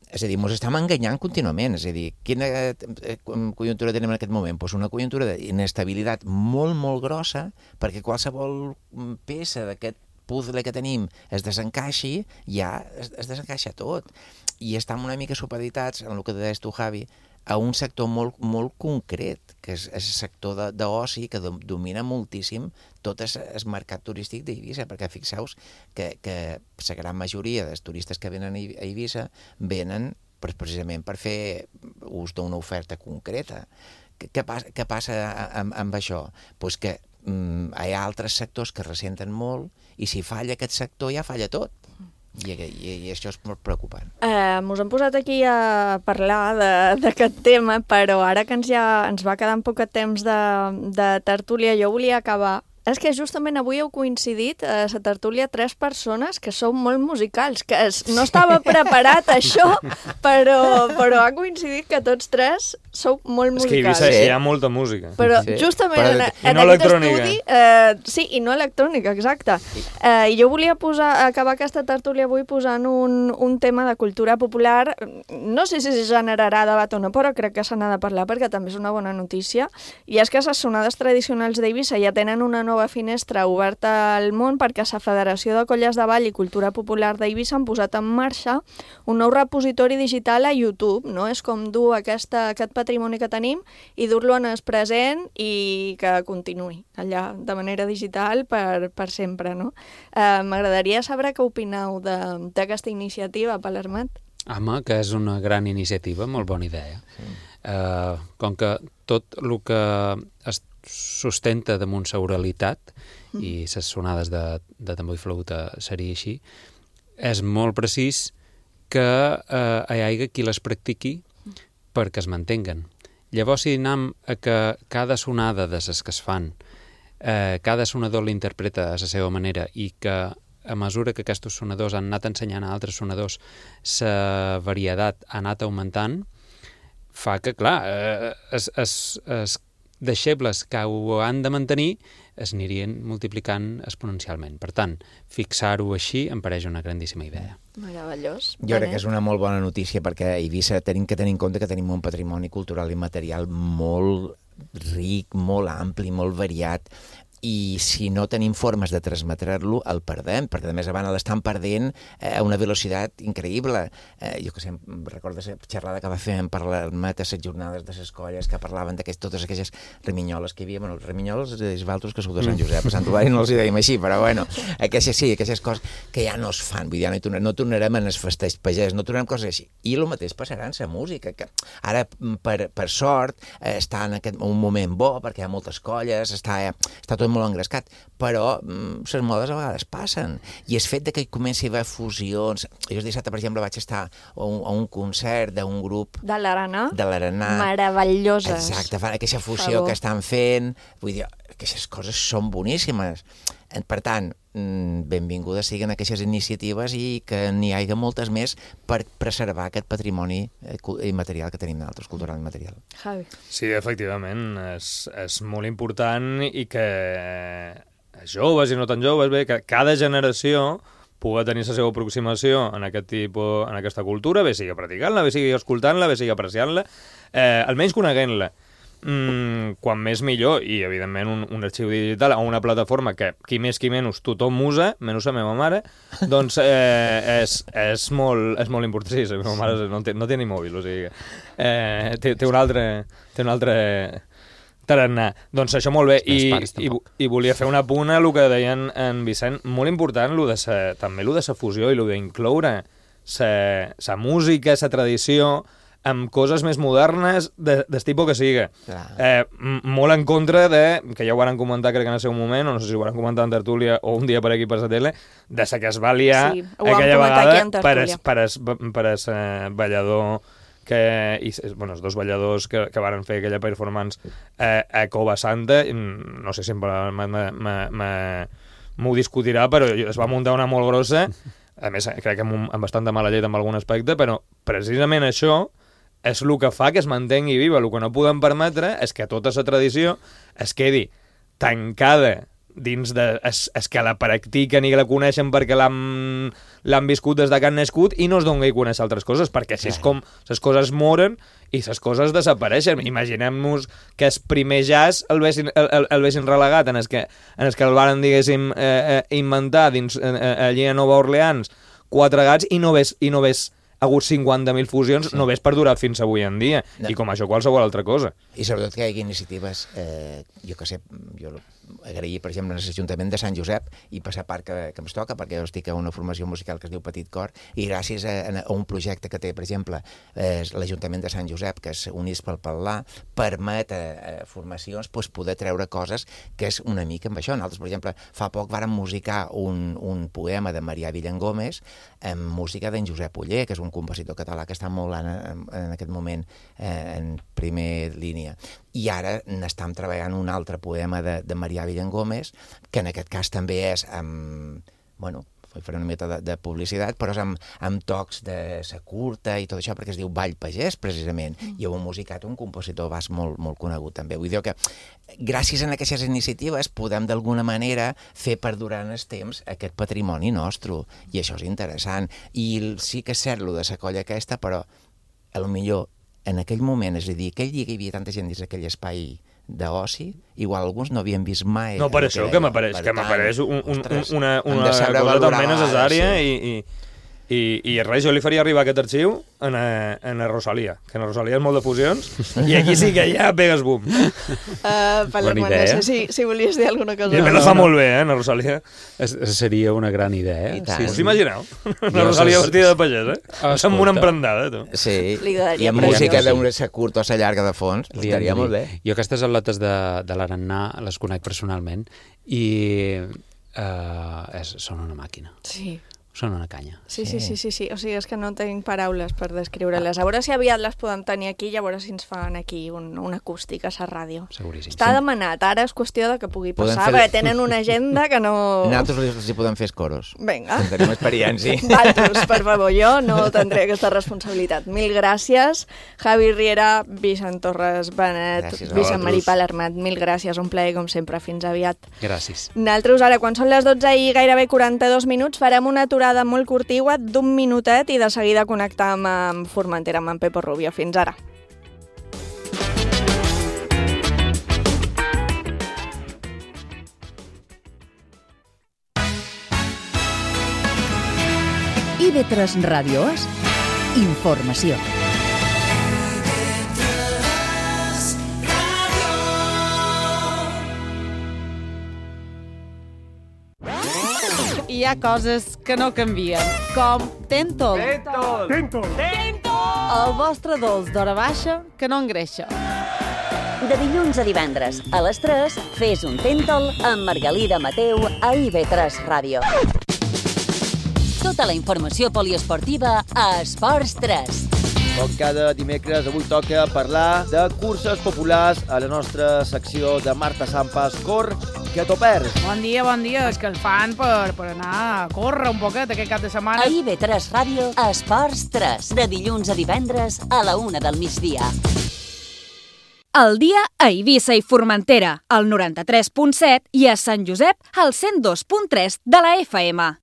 És a dir, ens estem enganyant contínuament. És a dir, quina conjuntura tenim en aquest moment? Doncs una conjuntura d'inestabilitat molt, molt grossa, perquè qualsevol peça d'aquest puzzle que tenim es desencaixi, ja es desencaixa tot. I estem una mica supeditats, en el que deies tu, Javi, a un sector molt, molt concret, que és el sector d'oci, que domina moltíssim tot el mercat turístic d'Eivissa, perquè fixeu-vos que la gran majoria dels turistes que venen a Eivissa venen precisament per fer ús d'una oferta concreta. Què passa amb això? Doncs que hi ha altres sectors que ressenten molt i si falla aquest sector ja falla tot. I això és molt preocupant. Ens hem posat aquí a parlar d'aquest tema, però ara que ens va quedar poc temps de tertúlia, jo volia acabar. És que justament avui heu coincidit a la tertúlia 3 persones que sou molt musicals, que no estava preparat això, però ha coincidit que tots 3 sou molt musicals. És que a Eivissa hi ha molta música. Però justament en aquest estudi... Sí, i no electrònica, exacte. I jo volia acabar aquesta tertúlia avui posant un tema de cultura popular. No sé si generarà debat o no, però crec que se n'ha de parlar perquè també és una bona notícia. I és que les sonades tradicionals d'Eivissa ja tenen una nova finestra oberta al món perquè la Federació de Colles de Ball i Cultura Popular d'Eivissa han posat en marxa un nou repositori digital a YouTube, no? És com dur aquest patrimoni que tenim i dur-lo en el present i que continuï allà de manera digital per sempre, no? M'agradaria saber què opineu d'aquesta iniciativa, Palermat. Home, que és una gran iniciativa, molt bona idea. Sí. Com que tot el que es sustenta damunt la oralitat i les sonades de tambor i flauta seria així, és molt precís que hi hagi qui les practiqui perquè es mantenguen. Llavors, si anem a que cada sonada de les que es fan, cada sonador l'interpreta a la seva manera i que a mesura que aquests sonadors han anat ensenyant a altres sonadors la varietat ha anat augmentant, fa que, clar, es deixebles que ho han de mantenir es anirien multiplicant exponencialment. Per tant, fixar-ho així em pareix una grandíssima idea. Meravellós. Jo crec que és una molt bona notícia perquè a Eivissa tenim que tenir en compte que tenim un patrimoni cultural i material molt ric, molt ampli, molt variat, i si no tenim formes de transmetre-lo, el perdem, perquè a més a banda l'estan perdent a una velocitat increïble. Jo que sé, recordo la xerrada que va fer en Palermat a les jornades de les colles que parlaven de totes aquelles reminyoles que hi havia. Bueno, els reminyoles és valtros que sou de Sant Josep, a Sant Ovari no els hi dèiem així, però bueno, aquelles coses que ja no es fan, vull dir, no tornarem en els festeig pagès, no tornarem coses així. I el mateix passarà en la música, que ara, per sort, està en un moment bo, perquè hi ha moltes colles, està tot molt engrescat, però les modes a vegades passen. I el fet de que comenci a haver fusions... Jo dissabte, per exemple, vaig estar a un concert d'un grup... De l'Arenà. Meravelloses. Exacte, fan aquesta fusió que estan fent. Vull dir, aquestes coses són boníssimes. Per tant, benvingudes siguin aquestes iniciatives i que n'hi hagi moltes més per preservar aquest patrimoni immaterial que tenim nosaltres, cultural i material. Javi. Sí, efectivament, és molt important i que joves i no tan joves, bé, que cada generació pugui tenir la seva aproximació en aquesta cultura, bé sigui practicant-la, bé sigui escoltant-la, bé sigui apreciant-la, almenys coneguent-la. quan més millor, i evidentment un arxiu digital a una plataforma que qui més qui menys tothom usa, menys la meva mare, doncs és molt important. Sí, la meva mare no té ni mòbil, o sigui, té un altre tarannà. Doncs això molt bé, i volia fer un apunt a el que deien en Vicent, molt important també el de la fusió i el d'incloure la música, la tradició, amb coses més modernes del tipus que siga. Molt en contra de, que ja ho van comentar crec que en el seu moment, o no sé si ho van comentar en tertúlia o un dia per aquí per la tele, de la que es va liar aquella vegada per el ballador els dos balladors que van fer aquella performance a Cova Santa. No sé si m'ho discutirà, però es va muntar una molt grossa, a més crec que amb bastant de mala llet en algun aspecte, però precisament això és el que fa que es mantengui viva. El que no podem permetre és que tota la tradició es quedi tancada dins de... és que la practiquen i la coneixen perquè l'han viscut des de que han nascut i no es doni a conèixer altres coses, perquè així és com les coses moren i les coses desapareixen. Imaginem-nos que el primer jazz el vessin relegat en el que el varen, diguéssim, inventar allí a Nova Orleans 4 gats i no ves hagut 50.000 fusions, no ves perdurar fins avui en dia, i com això qualsevol altra cosa. I sobretot que hi hagi iniciatives, jo agrair, per exemple, en l'Ajuntament de Sant Josep i per la part que em toca, perquè jo estic a una formació musical que es diu Petit Cor, i gràcies a un projecte que té, per exemple, l'Ajuntament de Sant Josep, que és Units pel Parlar, permet a formacions poder treure coses que és una mica amb això. Nosaltres, per exemple, fa poc vàrem musicar un poema de Marià Villangómez amb música d'en Josep Oller, que és un compositor català que està molt en aquest moment en primer línia. I ara n'estem treballant un altre poema de Marià Villangómez, que en aquest cas també és faré una mica de publicitat, però és amb tocs de sa curta i tot això, perquè es diu Ball Pagès, precisament, i ho ha musicat un compositor basc molt conegut també. Vull dir que gràcies a aquestes iniciatives podem d'alguna manera fer perdurar en el temps aquest patrimoni nostre, i això és interessant. I sí que és cert lo de la colla aquesta, però potser en aquell moment, és a dir, aquell dia que hi havia tanta gent dins d'aquell espai d'oci, igual alguns no havien vist mai... No, per això que m'apareix una cosa també necessària i res, jo li faria arribar aquest arxiu a Rosalia, que a Rosalia és molt de fusions, i aquí sí que ja pegues boom. Palermo, no sé si volies dir alguna cosa. I la fa molt bé, a Rosalia. Seria una gran idea. Us imagineu? La Rosalia vestida de pagès, amb una emprendada, tu. Sí, i amb música d'una curta o sa llarga de fons, estaria molt bé. Jo aquestes atletes de l'Arannà les conec personalment i són una màquina. Sí. Són una canya. Sí. O sigui, és que no tinc paraules per descriure-les. A veure si aviat les podem tenir aquí i a veure si ens fan aquí un acústic a la ràdio. Seguríssim. Està demanat. Ara és qüestió de que pugui passar, perquè tenen una agenda que no... Nosaltres els hi podem fer coros. Vinga. Tenim experiència. Valtros, per favor, jo no tindré aquesta responsabilitat. Mil gràcies. Javi Riera, Vicent Torres Benet, Vicent Marí Palermat, mil gràcies. Un plaer, com sempre. Fins aviat. Gràcies. Nosaltres, ara, quan són les 12 i gairebé 42 minuts, farem una aturada molt curtigua d'un minutet i de seguida connectam amb Formentera, amb en Pepo Rubio. Fins ara. IB3 Ràdio és informació. Hi ha coses que no canvien, com Tentol. Tentol! El vostre dolç d'hora baixa que no engreixa. De dilluns a divendres, a les 3, fes un Tentol amb Margalida Mateu a IB3 Ràdio. Tota la informació poliesportiva a Esports 3. Com cada dimecres, avui toca parlar de curses populars a la nostra secció de Marta Sampas Cor, que t'ho perds. Bon dia, és que el fan per anar a córrer un poquet aquest cap de setmana. A IB3 Ràdio, Esports 3, de dilluns a divendres a la 1 del migdia. El dia a Eivissa i Formentera, al 93.7 i a Sant Josep, al 102.3 de la FM.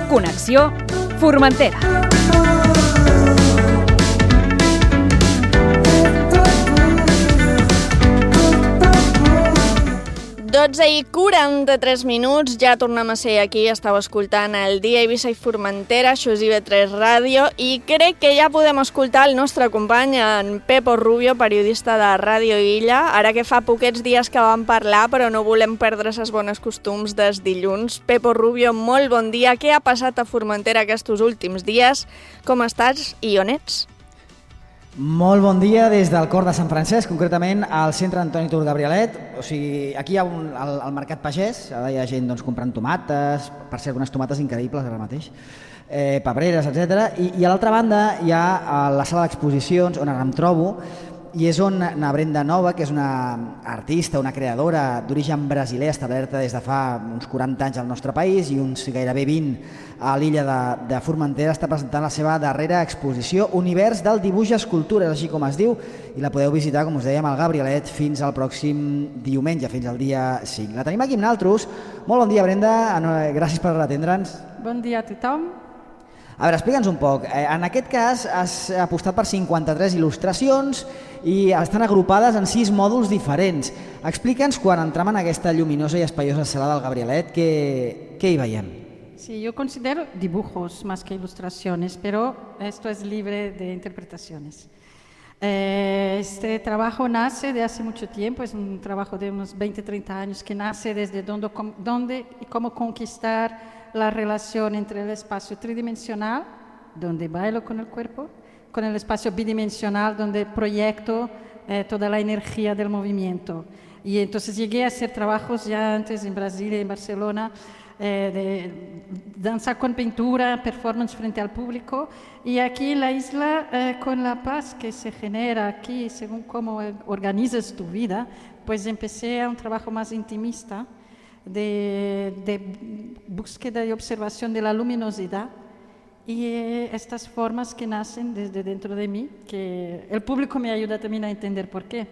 Connexió Formentera. 12:43, ja tornem a ser aquí, estàu escoltant el Dia Eivissa i Formentera, això és IB3 Ràdio, i crec que ja podem escoltar el nostre company, en Pepo Rubio, periodista de Ràdio Illa, ara que fa poquets dies que vam parlar, però no volem perdre ses bones costums des dilluns. Pepo Rubio, molt bon dia, què ha passat a Formentera aquests últims dies? Com estàs i on ets? Molt bon dia des del cor de Sant Francesc, concretament al centre Antoni Tur Gabrielet. O sigui, aquí hi ha el mercat pagès, ara hi ha gent comprant tomates, per cert, unes tomates increïbles ara mateix, pebreres, etc. I a l'altra banda hi ha la sala d'exposicions on ara em trobo, i és on na Brenda Nova, que és una artista, una creadora d'origen brasiler establerta des de fa uns 40 anys al nostre país i uns gairebé 20 a l'illa de Formentera, està presentant la seva darrera exposició, Univers del dibuix i escultura, així com es diu, i la podeu visitar, com us dèiem, al Gabrielet fins al pròxim diumenge, fins al dia 5. La tenim aquí amb nosaltres. Molt bon dia, Brenda, gràcies per atendre'ns. Bon dia a tothom. A veure, explica'ns un poc. En aquest cas has apostat per 53 il·lustracions i estan agrupades en 6 mòduls diferents. Explica'ns, quan entrem en aquesta lluminosa i espaiosa sala del Gabrielet, què hi veiem? Sí, yo considero dibujos más que ilustraciones, pero esto es libre de interpretaciones. Este trabajo nace de hace mucho tiempo, es un trabajo de unos 20-30 años que nace desde dónde y cómo conquistar la relación entre el espacio tridimensional, donde bailo con el cuerpo, con el espacio bidimensional, donde proyecto toda la energía del movimiento. Y entonces llegué a hacer trabajos ya antes en Brasil y en Barcelona, de danza con pintura, performance frente al público, y aquí en la isla, con la paz que se genera aquí, según cómo organizas tu vida, pues empecé a un trabajo más intimista, de búsqueda y observación de la luminosidad y estas formas que nacen desde dentro de mí, que el público me ayuda también a entender por qué.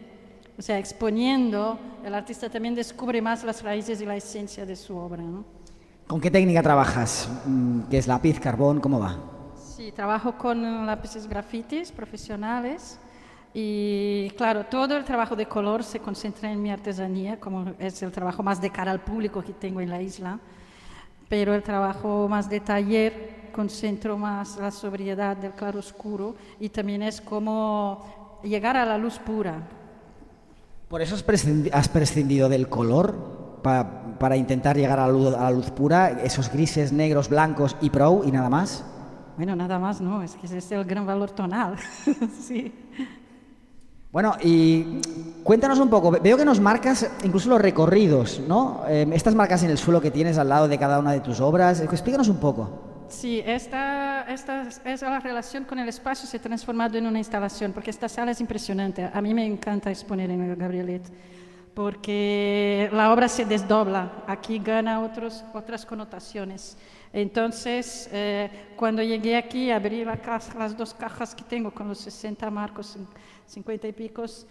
O sea, exponiendo, el artista también descubre más las raíces y la esencia de su obra, ¿no? ¿Con qué técnica trabajas? ¿Qué es lápiz, carbón? ¿Cómo va? Sí, trabajo con lápices grafitis profesionales. Y claro, todo el trabajo de color se concentra en mi artesanía, como es el trabajo más de cara al público que tengo en la isla, pero el trabajo más de taller concentro más la sobriedad del claroscuro y también es como llegar a la luz pura. ¿Por eso has prescindido del color para intentar llegar a la luz pura, esos grises, negros, blancos y prou y nada más? Bueno, nada más no, es que ese es el gran valor tonal, sí. Bueno, y cuéntanos un poco, veo que nos marcas incluso los recorridos, ¿no? Estas marcas en el suelo que tienes al lado de cada una de tus obras, explícanos un poco. Sí, esta es la relación con el espacio, se ha transformado en una instalación, porque esta sala es impresionante. A mí me encanta exponer en el Gabrielet, porque la obra se desdobla, aquí gana otras connotaciones. Entonces, cuando llegué aquí, abrí las 2 cajas que tengo con los 60 marcos, 50 y picos,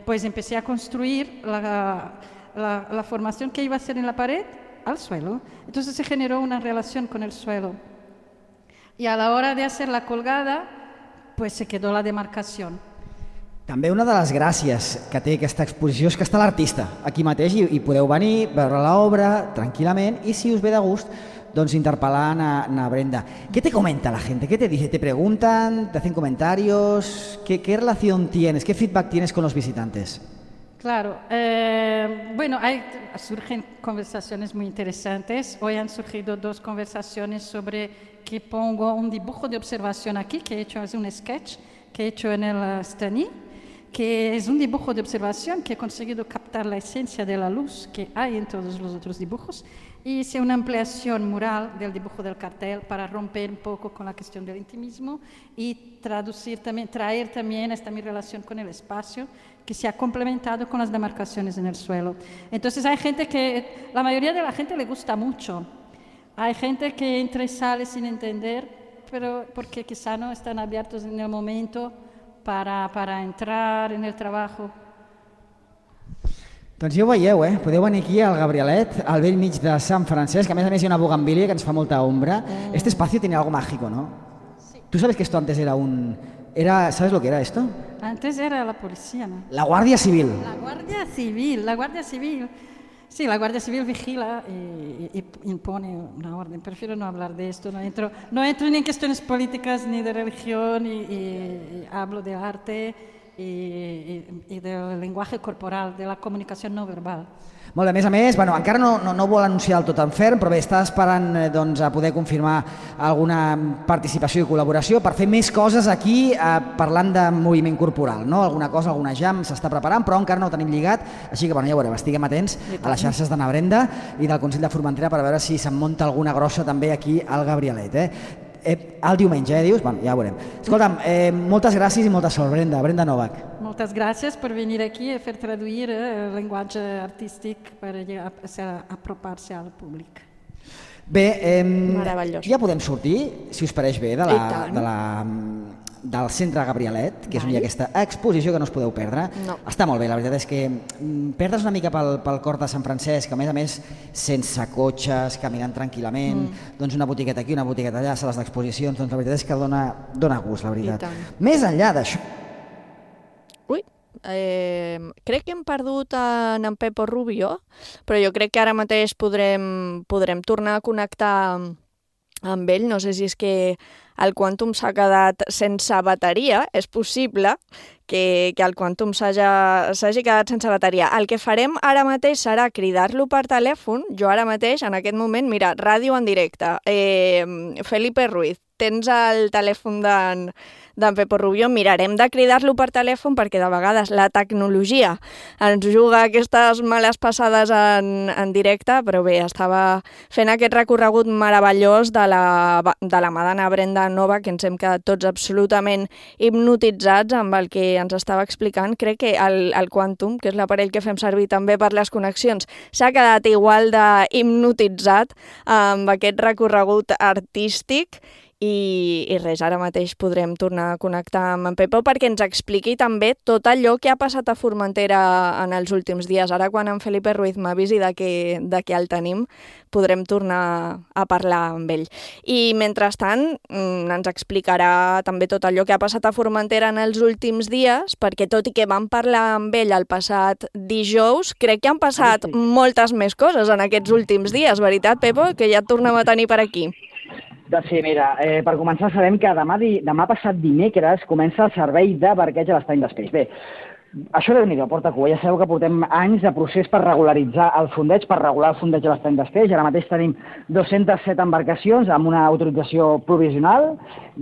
pues empecé a construir la formación que iba a hacer en la pared al suelo. Entonces se generó una relación con el suelo. Y a la hora de hacer la colgada, pues se quedó la demarcación. També una de les gràcies que té aquesta exposició és que està l'artista aquí mateix i podeu venir, veure l'obra tranquil·lament i si us ve de gust, doncs interpelar a Brenda. ¿Qué te comenta la gente? ¿Qué te dice? ¿Te preguntan? ¿Te hacen comentarios? ¿Qué relación tienes? ¿Qué feedback tienes con los visitantes? Claro, bueno, surgen conversaciones muy interesantes. Hoy han surgido 2 conversaciones sobre que pongo un dibujo de observación aquí, que he hecho, es un sketch que he hecho en el Stani, que es un dibujo de observación que he conseguido captar la esencia de la luz que hay en todos los otros dibujos y hice una ampliación mural del dibujo del cartel para romper un poco con la cuestión del intimismo y traer también esta mi relación con el espacio que se ha complementado con las demarcaciones en el suelo. Entonces hay gente que, la mayoría de la gente le gusta mucho, hay gente que entra y sale sin entender, pero porque quizá no están abiertos en el momento para entrar en el trabajo. Doncs ja ho veieu, podeu venir aquí al Gabrielet, al vell mig de Sant Francesc, a més hi ha una bugambília que ens fa molta ombra. Este espacio tiene algo mágico, ¿no? Sí. ¿Tú sabes que esto antes era ¿sabes lo que era esto? Antes era la policía, ¿no? La Guardia Civil. La Guardia Civil. Sí, la Guardia Civil vigila y impone una orden. Prefiero no hablar de esto, no entro ni en cuestiones políticas ni de religión y hablo de arte y del lenguaje corporal, de la comunicació no verbal. Molt bé, a més, encara no vol anunciar el tot en ferm, però bé, està esperant a poder confirmar alguna participació i col·laboració per fer més coses aquí parlant de moviment corporal, no? Alguna cosa, alguna jam s'està preparant, però encara no ho tenim lligat, així que ja ho veurem, estiguem atents a les xarxes d'Anna Brenda i del Consell de Formentera per veure si se'n munta alguna grossa també aquí al Gabrielet. El diumenge, dius? Ja ho veurem. Escolta'm, moltes gràcies i molta sort, Brenda Novak. Moltes gràcies per venir aquí a fer traduir el llenguatge artístic per apropar-se al públic. Bé, ja podem sortir, si us pareix bé, del Centre Gabrielet, que és on hi ha aquesta exposició que no us podeu perdre. Està molt bé, la veritat és que perdre's una mica pel cor de Sant Francesc, a més, sense cotxes, caminant tranquil·lament, doncs una botiqueta aquí, una botiqueta allà, sales d'exposicions, doncs la veritat és que dona gust, la veritat. Més enllà d'això... Crec que hem perdut en Pepo Rubio, però jo crec que ara mateix podrem tornar a connectar amb ell. No sé si és que el Quantum s'ha quedat sense bateria, és possible que el Quantum s'hagi quedat sense bateria. El que farem ara mateix serà cridar-lo per telèfon. Jo ara mateix, en aquest moment, mira, ràdio en directe. Felipe Ruiz, tens el telèfon d'en Pepo Rubio, mirarem de cridar-lo per telèfon perquè de vegades la tecnologia ens juga aquestes males passades en directe, però bé, estava fent aquest recorregut meravellós de la mà d'Anna Brenda Nova, que ens hem quedat tots absolutament hipnotitzats amb el que ens estava explicant. Crec que el Quantum, que és l'aparell que fem servir també per les connexions, s'ha quedat igual de hipnotitzat amb aquest recorregut artístic. I res, ara mateix podrem tornar a connectar amb en Pepo perquè ens expliqui també tot allò que ha passat a Formentera en els últims dies. Ara, quan en Felipe Ruiz m'avisi de que el tenim, podrem tornar a parlar amb ell. I mentrestant ens explicarà també tot allò que ha passat a Formentera en els últims dies, perquè tot i que vam parlar amb ell el passat dijous, crec que han passat moltes més coses en aquests últims dies, veritat, Pepo? Que ja et tornem a tenir per aquí. Doncs sí, mira, per començar sabem que demà passat dimecres comença el servei de barqueig a l'estany d'Espeix. Bé, això Déu-n'hi-do, porta cua. Ja sabeu que portem anys de procés per regularitzar el fondeig, per regular el fondeig a l'estany d'Espeix. Ara mateix tenim 207 embarcacions amb una autorització provisional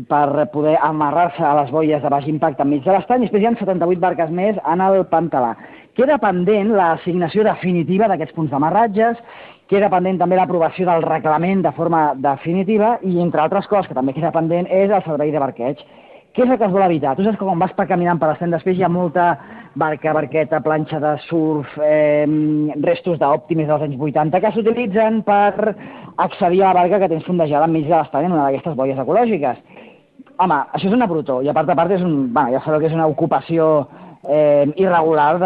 per poder amarrar-se a les boies de baix impacte enmig de l'estany. Després hi ha 78 barques més en el Pantalà. Queda pendent l'assignació definitiva d'aquests punts d'amarratges, queda pendent també l'aprovació del reglament de forma definitiva i, entre altres coses que també queda pendent, és el servei de barqueig. Què és el que es vol evitar? Tu saps que quan vas caminant per l'estany d'Espeix hi ha molta barca, barqueta, planxa de surf, restos d'òptimes dels anys 80 que s'utilitzen per accedir a la barca que tens fondejada enmig de l'estany en una d'aquestes boies ecològiques. Home, això és una brutó i a part ja sabeu que és una ocupació irregular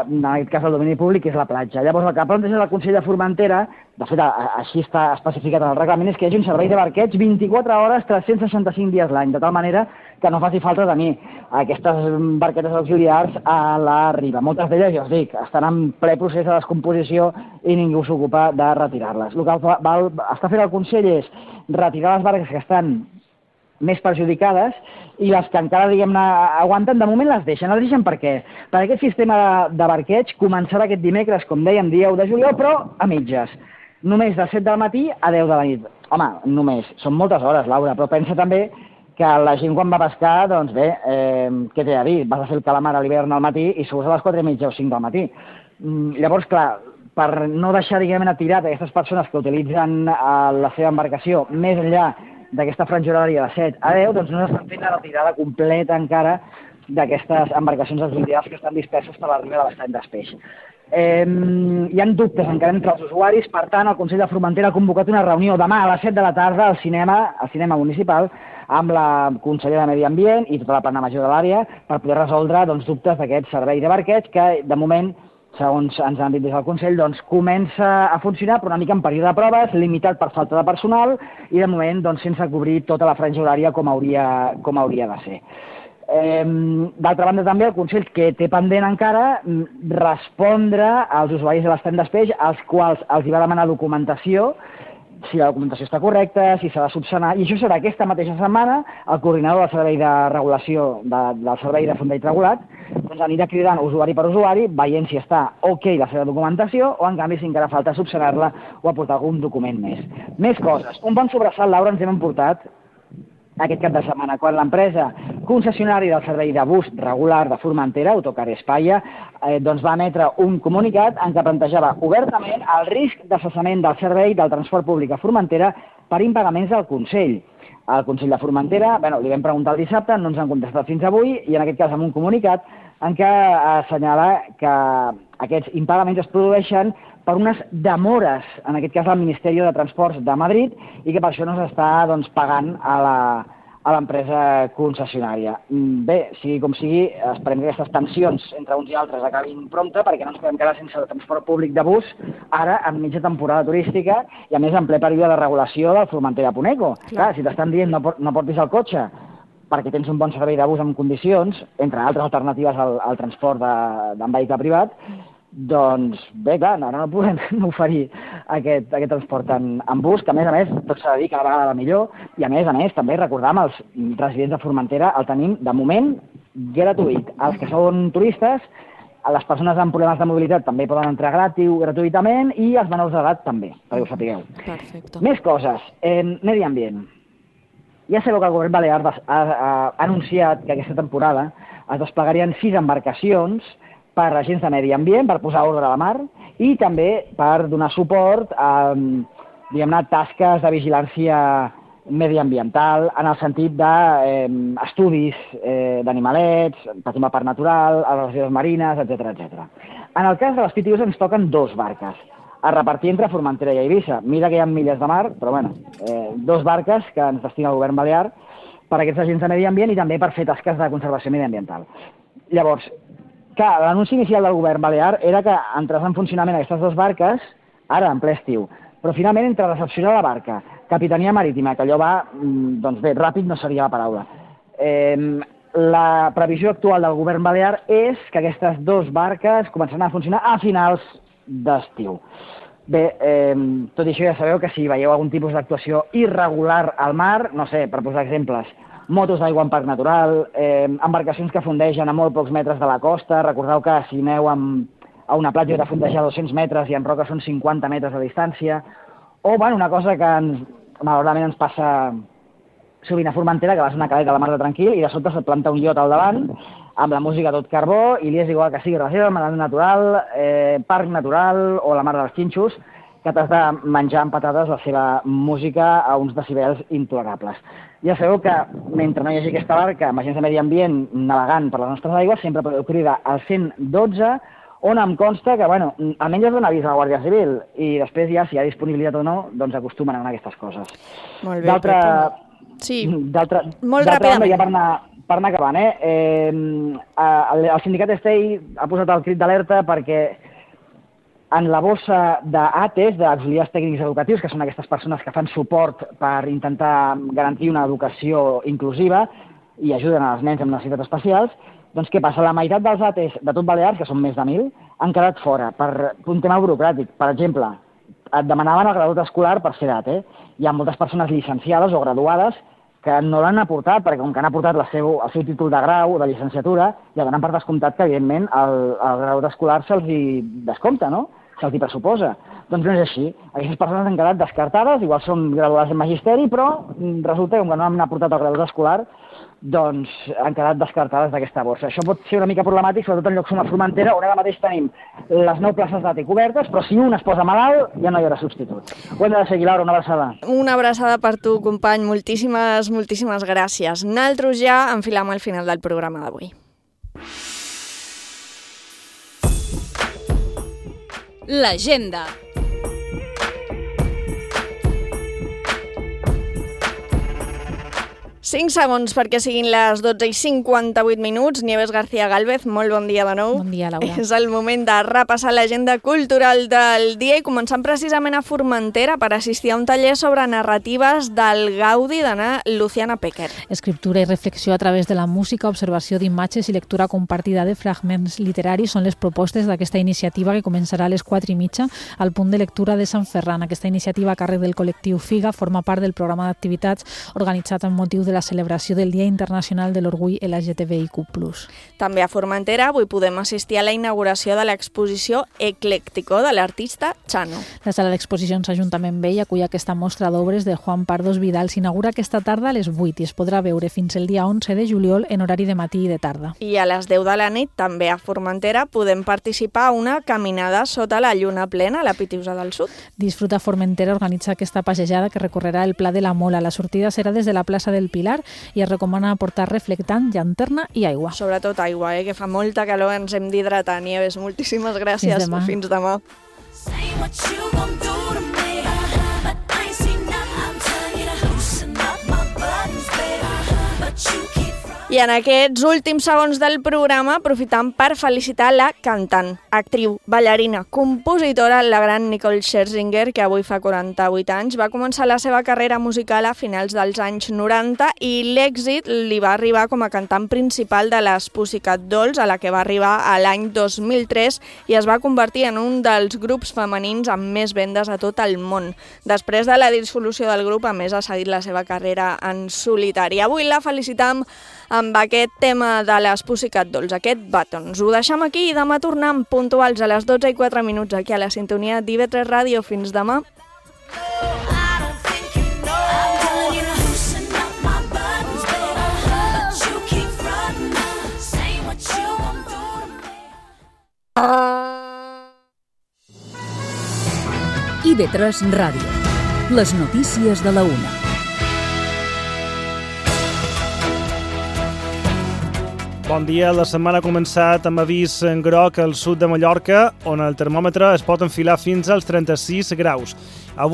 en aquest cas del domini públic, que és la platja. Llavors el que planteja el Consell de Formentera, de fet així està especificat en el reglament, és que hi hagi un servei de barqueig 24 hores, 365 dies l'any, de tal manera que no faci falta tenir aquestes barquetes auxiliars a la riba. Moltes d'elles, ja us dic, estan en ple procés de descomposició i ningú s'ocupa de retirar-les. El que està fent el Consell és retirar les barques que estan més perjudicades i les que encara, diguem-ne, aguanten, de moment les deixen. Les deixen per què? Perquè aquest sistema de barqueig començarà aquest dimecres, com dèiem, dia 1 de juliol, però a mitges. Només de 7 del matí a 10 de la nit. Home, només. Són moltes hores, Laura, però pensa també que la gent quan va pescar, doncs bé, què té a dir? Vas a fer el calamar a l'hivern al matí i surts a les 4:30 o 5 del matí. Llavors, clar, per no deixar, diguem-ne, tirat aquestes persones que utilitzen la seva embarcació més enllà d'aquesta franja horària de 7 a 10, doncs no s'estan fent la retirada completa encara d'aquestes embarcacions auxiliars que estan disperses per la riba de l'estany d'Espeix. Hi ha dubtes encara entre els usuaris, per tant, el Consell de Formentera ha convocat una reunió demà a les 7 de la tarda al cinema municipal amb la consellera de Medi Ambient i tota la plana major de l'àrea per poder resoldre dubtes d'aquest servei de barqueig que, de moment, segons ens han dit des del Consell, doncs comença a funcionar però una mica en període de proves, limitat per falta de personal i de moment doncs, sense cobrir tota la franja horària com hauria de ser. D'altra banda també el Consell que té pendent encara respondre als usuaris de l'Stand d'Espeix als quals els hi va demanar documentació, si la documentació està correcta, si s'ha de subsanar, i això serà aquesta mateixa setmana el coordinador del servei de regulació del servei de fondeig regulat doncs anirà cridant usuari per usuari veient si està ok la seva documentació o en canvi si encara falta subsanar-la o aportar algun document més. Més coses. Un bon sobressalt, Laura, ens hem emportat aquest cap de setmana, quan l'empresa concessionària del servei de bus regular de Formentera, Autocar Espaia, doncs va emetre un comunicat en què plantejava obertament el risc de cessament del servei del transport públic a Formentera per impagaments del Consell. Al Consell de Formentera, li vam preguntar el dissabte, no ens han contestat fins avui, i en aquest cas amb un comunicat en què assenyala que aquests impagaments es produeixen per unes demores, en aquest cas al Ministeri de Transports de Madrid, i que per això no s'està pagant a l'empresa concessionària. Bé, sigui com sigui, esperem que aquestes tensions entre uns i altres acabin prompte, perquè no ens podem quedar sense el transport públic de bus, ara en mitja temporada turística, i a més en ple període de regulació del Formentera-Puneco. Clar, si t'estan dient no portis el cotxe perquè tens un bon servei de bus en condicions, entre altres alternatives al transport en vehicle privat, doncs bé, clar, ara no podem oferir aquest transport en bus, que a més, tot s'ha de dir cada vegada va millor, i a més, també recordar amb els residents de Formentera el tenim, de moment, gratuït. Els que són turistes, les persones amb problemes de mobilitat també poden entrar gratuïtament i els menors d'edat també, perquè ho sapigueu. Perfecte. Més coses. Medi ambient. Ja sabeu que el govern balear ha anunciat que aquesta temporada es desplegarien 6 embarcacions per agents de medi ambient, per posar ordre a la mar, i també per donar suport a, tasques de vigilància mediambiental, en el sentit d'estudis d'animalets, per exemple, parc natural, a les reserves marines, etc. En el cas de les PTUs ens toquen 2 barques, a repartir entre Formentera i Eivissa. Mira que hi ha milles de mar, però 2 barques que ens destina el govern balear per a aquests agents de medi ambient i també per fer tasques de conservació mediambiental. Llavors, clar, l'anunci inicial del govern balear era que entrés en funcionament aquestes 2 barques, ara en ple estiu, però finalment entre recepcionar la barca, capitania marítima, que allò va, doncs bé, ràpid no seria la paraula. La previsió actual del govern balear és que aquestes 2 barques començaran a funcionar a finals d'estiu. Bé, tot i això ja sabeu que si veieu algun tipus d'actuació irregular al mar, no sé, per posar exemples, motos d'aigua en parc natural, embarcacions que fondegen a molt pocs metres de la costa, recordeu que si aneu a una platja de fondejar a 200 metres i en roca són 50 metres de distància, o una cosa que malauradament ens passa sovint a Formentera, que vas a una caleta a la mar de tranquil i de sobte se't planta un iot al davant, amb la música tot carbó, i li és igual que sigui reserva natural, parc natural o la mar dels Xinxos, que t'has de menjar amb patates la seva música a uns decibels intolerables. Ja sabeu que mentre no hi hagi aquesta barca amb agents de medi ambient navegant per les nostres aigües, sempre podeu cridar al 112, on em consta que, almenys es dona avís a la Guàrdia Civil, i després ja, si hi ha disponibilitat o no, doncs acostumen a anar a aquestes coses. Molt bé, sí, molt ràpidament. Ja per anar acabant, el sindicat Estei ha posat el crit d'alerta perquè en la bossa d'ATES, d'auxiliars tècnics educatius, que són aquestes persones que fan suport per intentar garantir una educació inclusiva i ajuden als nens amb necessitats especials, doncs què passa? La meitat dels ATES de tot Balears, que són més de 1.000, han quedat fora per un tema burocràtic. Per exemple, et demanaven el graduat escolar per ser d'ATE. Hi ha moltes persones llicenciades o graduades que no l'han aportat, perquè com que han aportat el seu títol de grau o de llicenciatura, ja donen per descomptat que, evidentment, el graduat escolar se'ls descompta, no? Se'ls pressuposa. Doncs no és així. Aquestes persones han quedat descartades, igual són graduades en magisteri, però resulta que com que no han aportat el graduat escolar, doncs han quedat descartades d'aquesta borsa. Això pot ser una mica problemàtic, sobretot en llocs com la Formentera, on ara mateix tenim les 9 places d'ATE cobertes, però si un es posa malalt, ja no hi haurà substitut. Ho hem de seguir, Laura, una abraçada. Una abraçada per tu, company. Moltíssimes gràcies. Nosaltres ja enfilam al final del programa d'avui. L'agenda. 5 segons perquè siguin les 12:58. Nieves García Gálvez, molt bon dia de nou. Bon dia, Laura. És el moment de repassar l'agenda cultural del dia i començant precisament a Formentera per assistir a un taller sobre narratives del Gaudi d'Anna Luciana Pecker. Escriptura i reflexió a través de la música, observació d'imatges i lectura compartida de fragments literaris són les propostes d'aquesta iniciativa que començarà a les 4:30 al punt de lectura de Sant Ferran. Aquesta iniciativa a càrrec del col·lectiu FIGA forma part del programa d'activitats organitzat amb motiu de la celebració del Dia Internacional de l'Orgull LGTBIQ+. També a Formentera avui podem assistir a la inauguració de l'exposició Ecléctico de l'artista Chano. La sala d'exposicions Ajuntament Vell acull aquesta mostra d'obres de Juan Pardos Vidal. S'inaugura aquesta tarda a les 8 i es podrà veure fins el dia 11 de juliol en horari de matí i de tarda. I a les 10 de la nit, també a Formentera, podem participar a una caminada sota la lluna plena a la Pitiusa del Sud. Disfruta Formentera organitza aquesta passejada que recorrerà el Pla de la Mola. La sortida serà des de la plaça del Pilar i es recomana portar reflectant, llanterna i aigua. Sobretot aigua, que fa molta calor, ens hem d'hidratar. Nieves, moltíssimes gràcies. Fins demà. Fins demà. I en aquests últims segons del programa aprofitam per felicitar la cantant, actriu, ballarina, compositora, la gran Nicole Scherzinger, que avui fa 48 anys. Va començar la seva carrera musical a finals dels anys 90 i l'èxit li va arribar com a cantant principal de les Pussycat Dolls, a la que va arribar a l'any 2003 i es va convertir en un dels grups femenins amb més vendes a tot el món. Després de la dissolució del grup, a més, ha seguit la seva carrera en solitari. Avui la felicitam amb aquest tema de les Pussycat Dolls, aquest Buttons. Ho deixem aquí i demà tornem puntuals a les 12:04 aquí a la sintonia d'IV3 Ràdio. Fins demà. IV3 Ràdio. Les notícies de la 1. Bon dia. La setmana ha començat amb avís en groc al sud de Mallorca, on el termòmetre es pot enfilar fins als 36 graus. Avui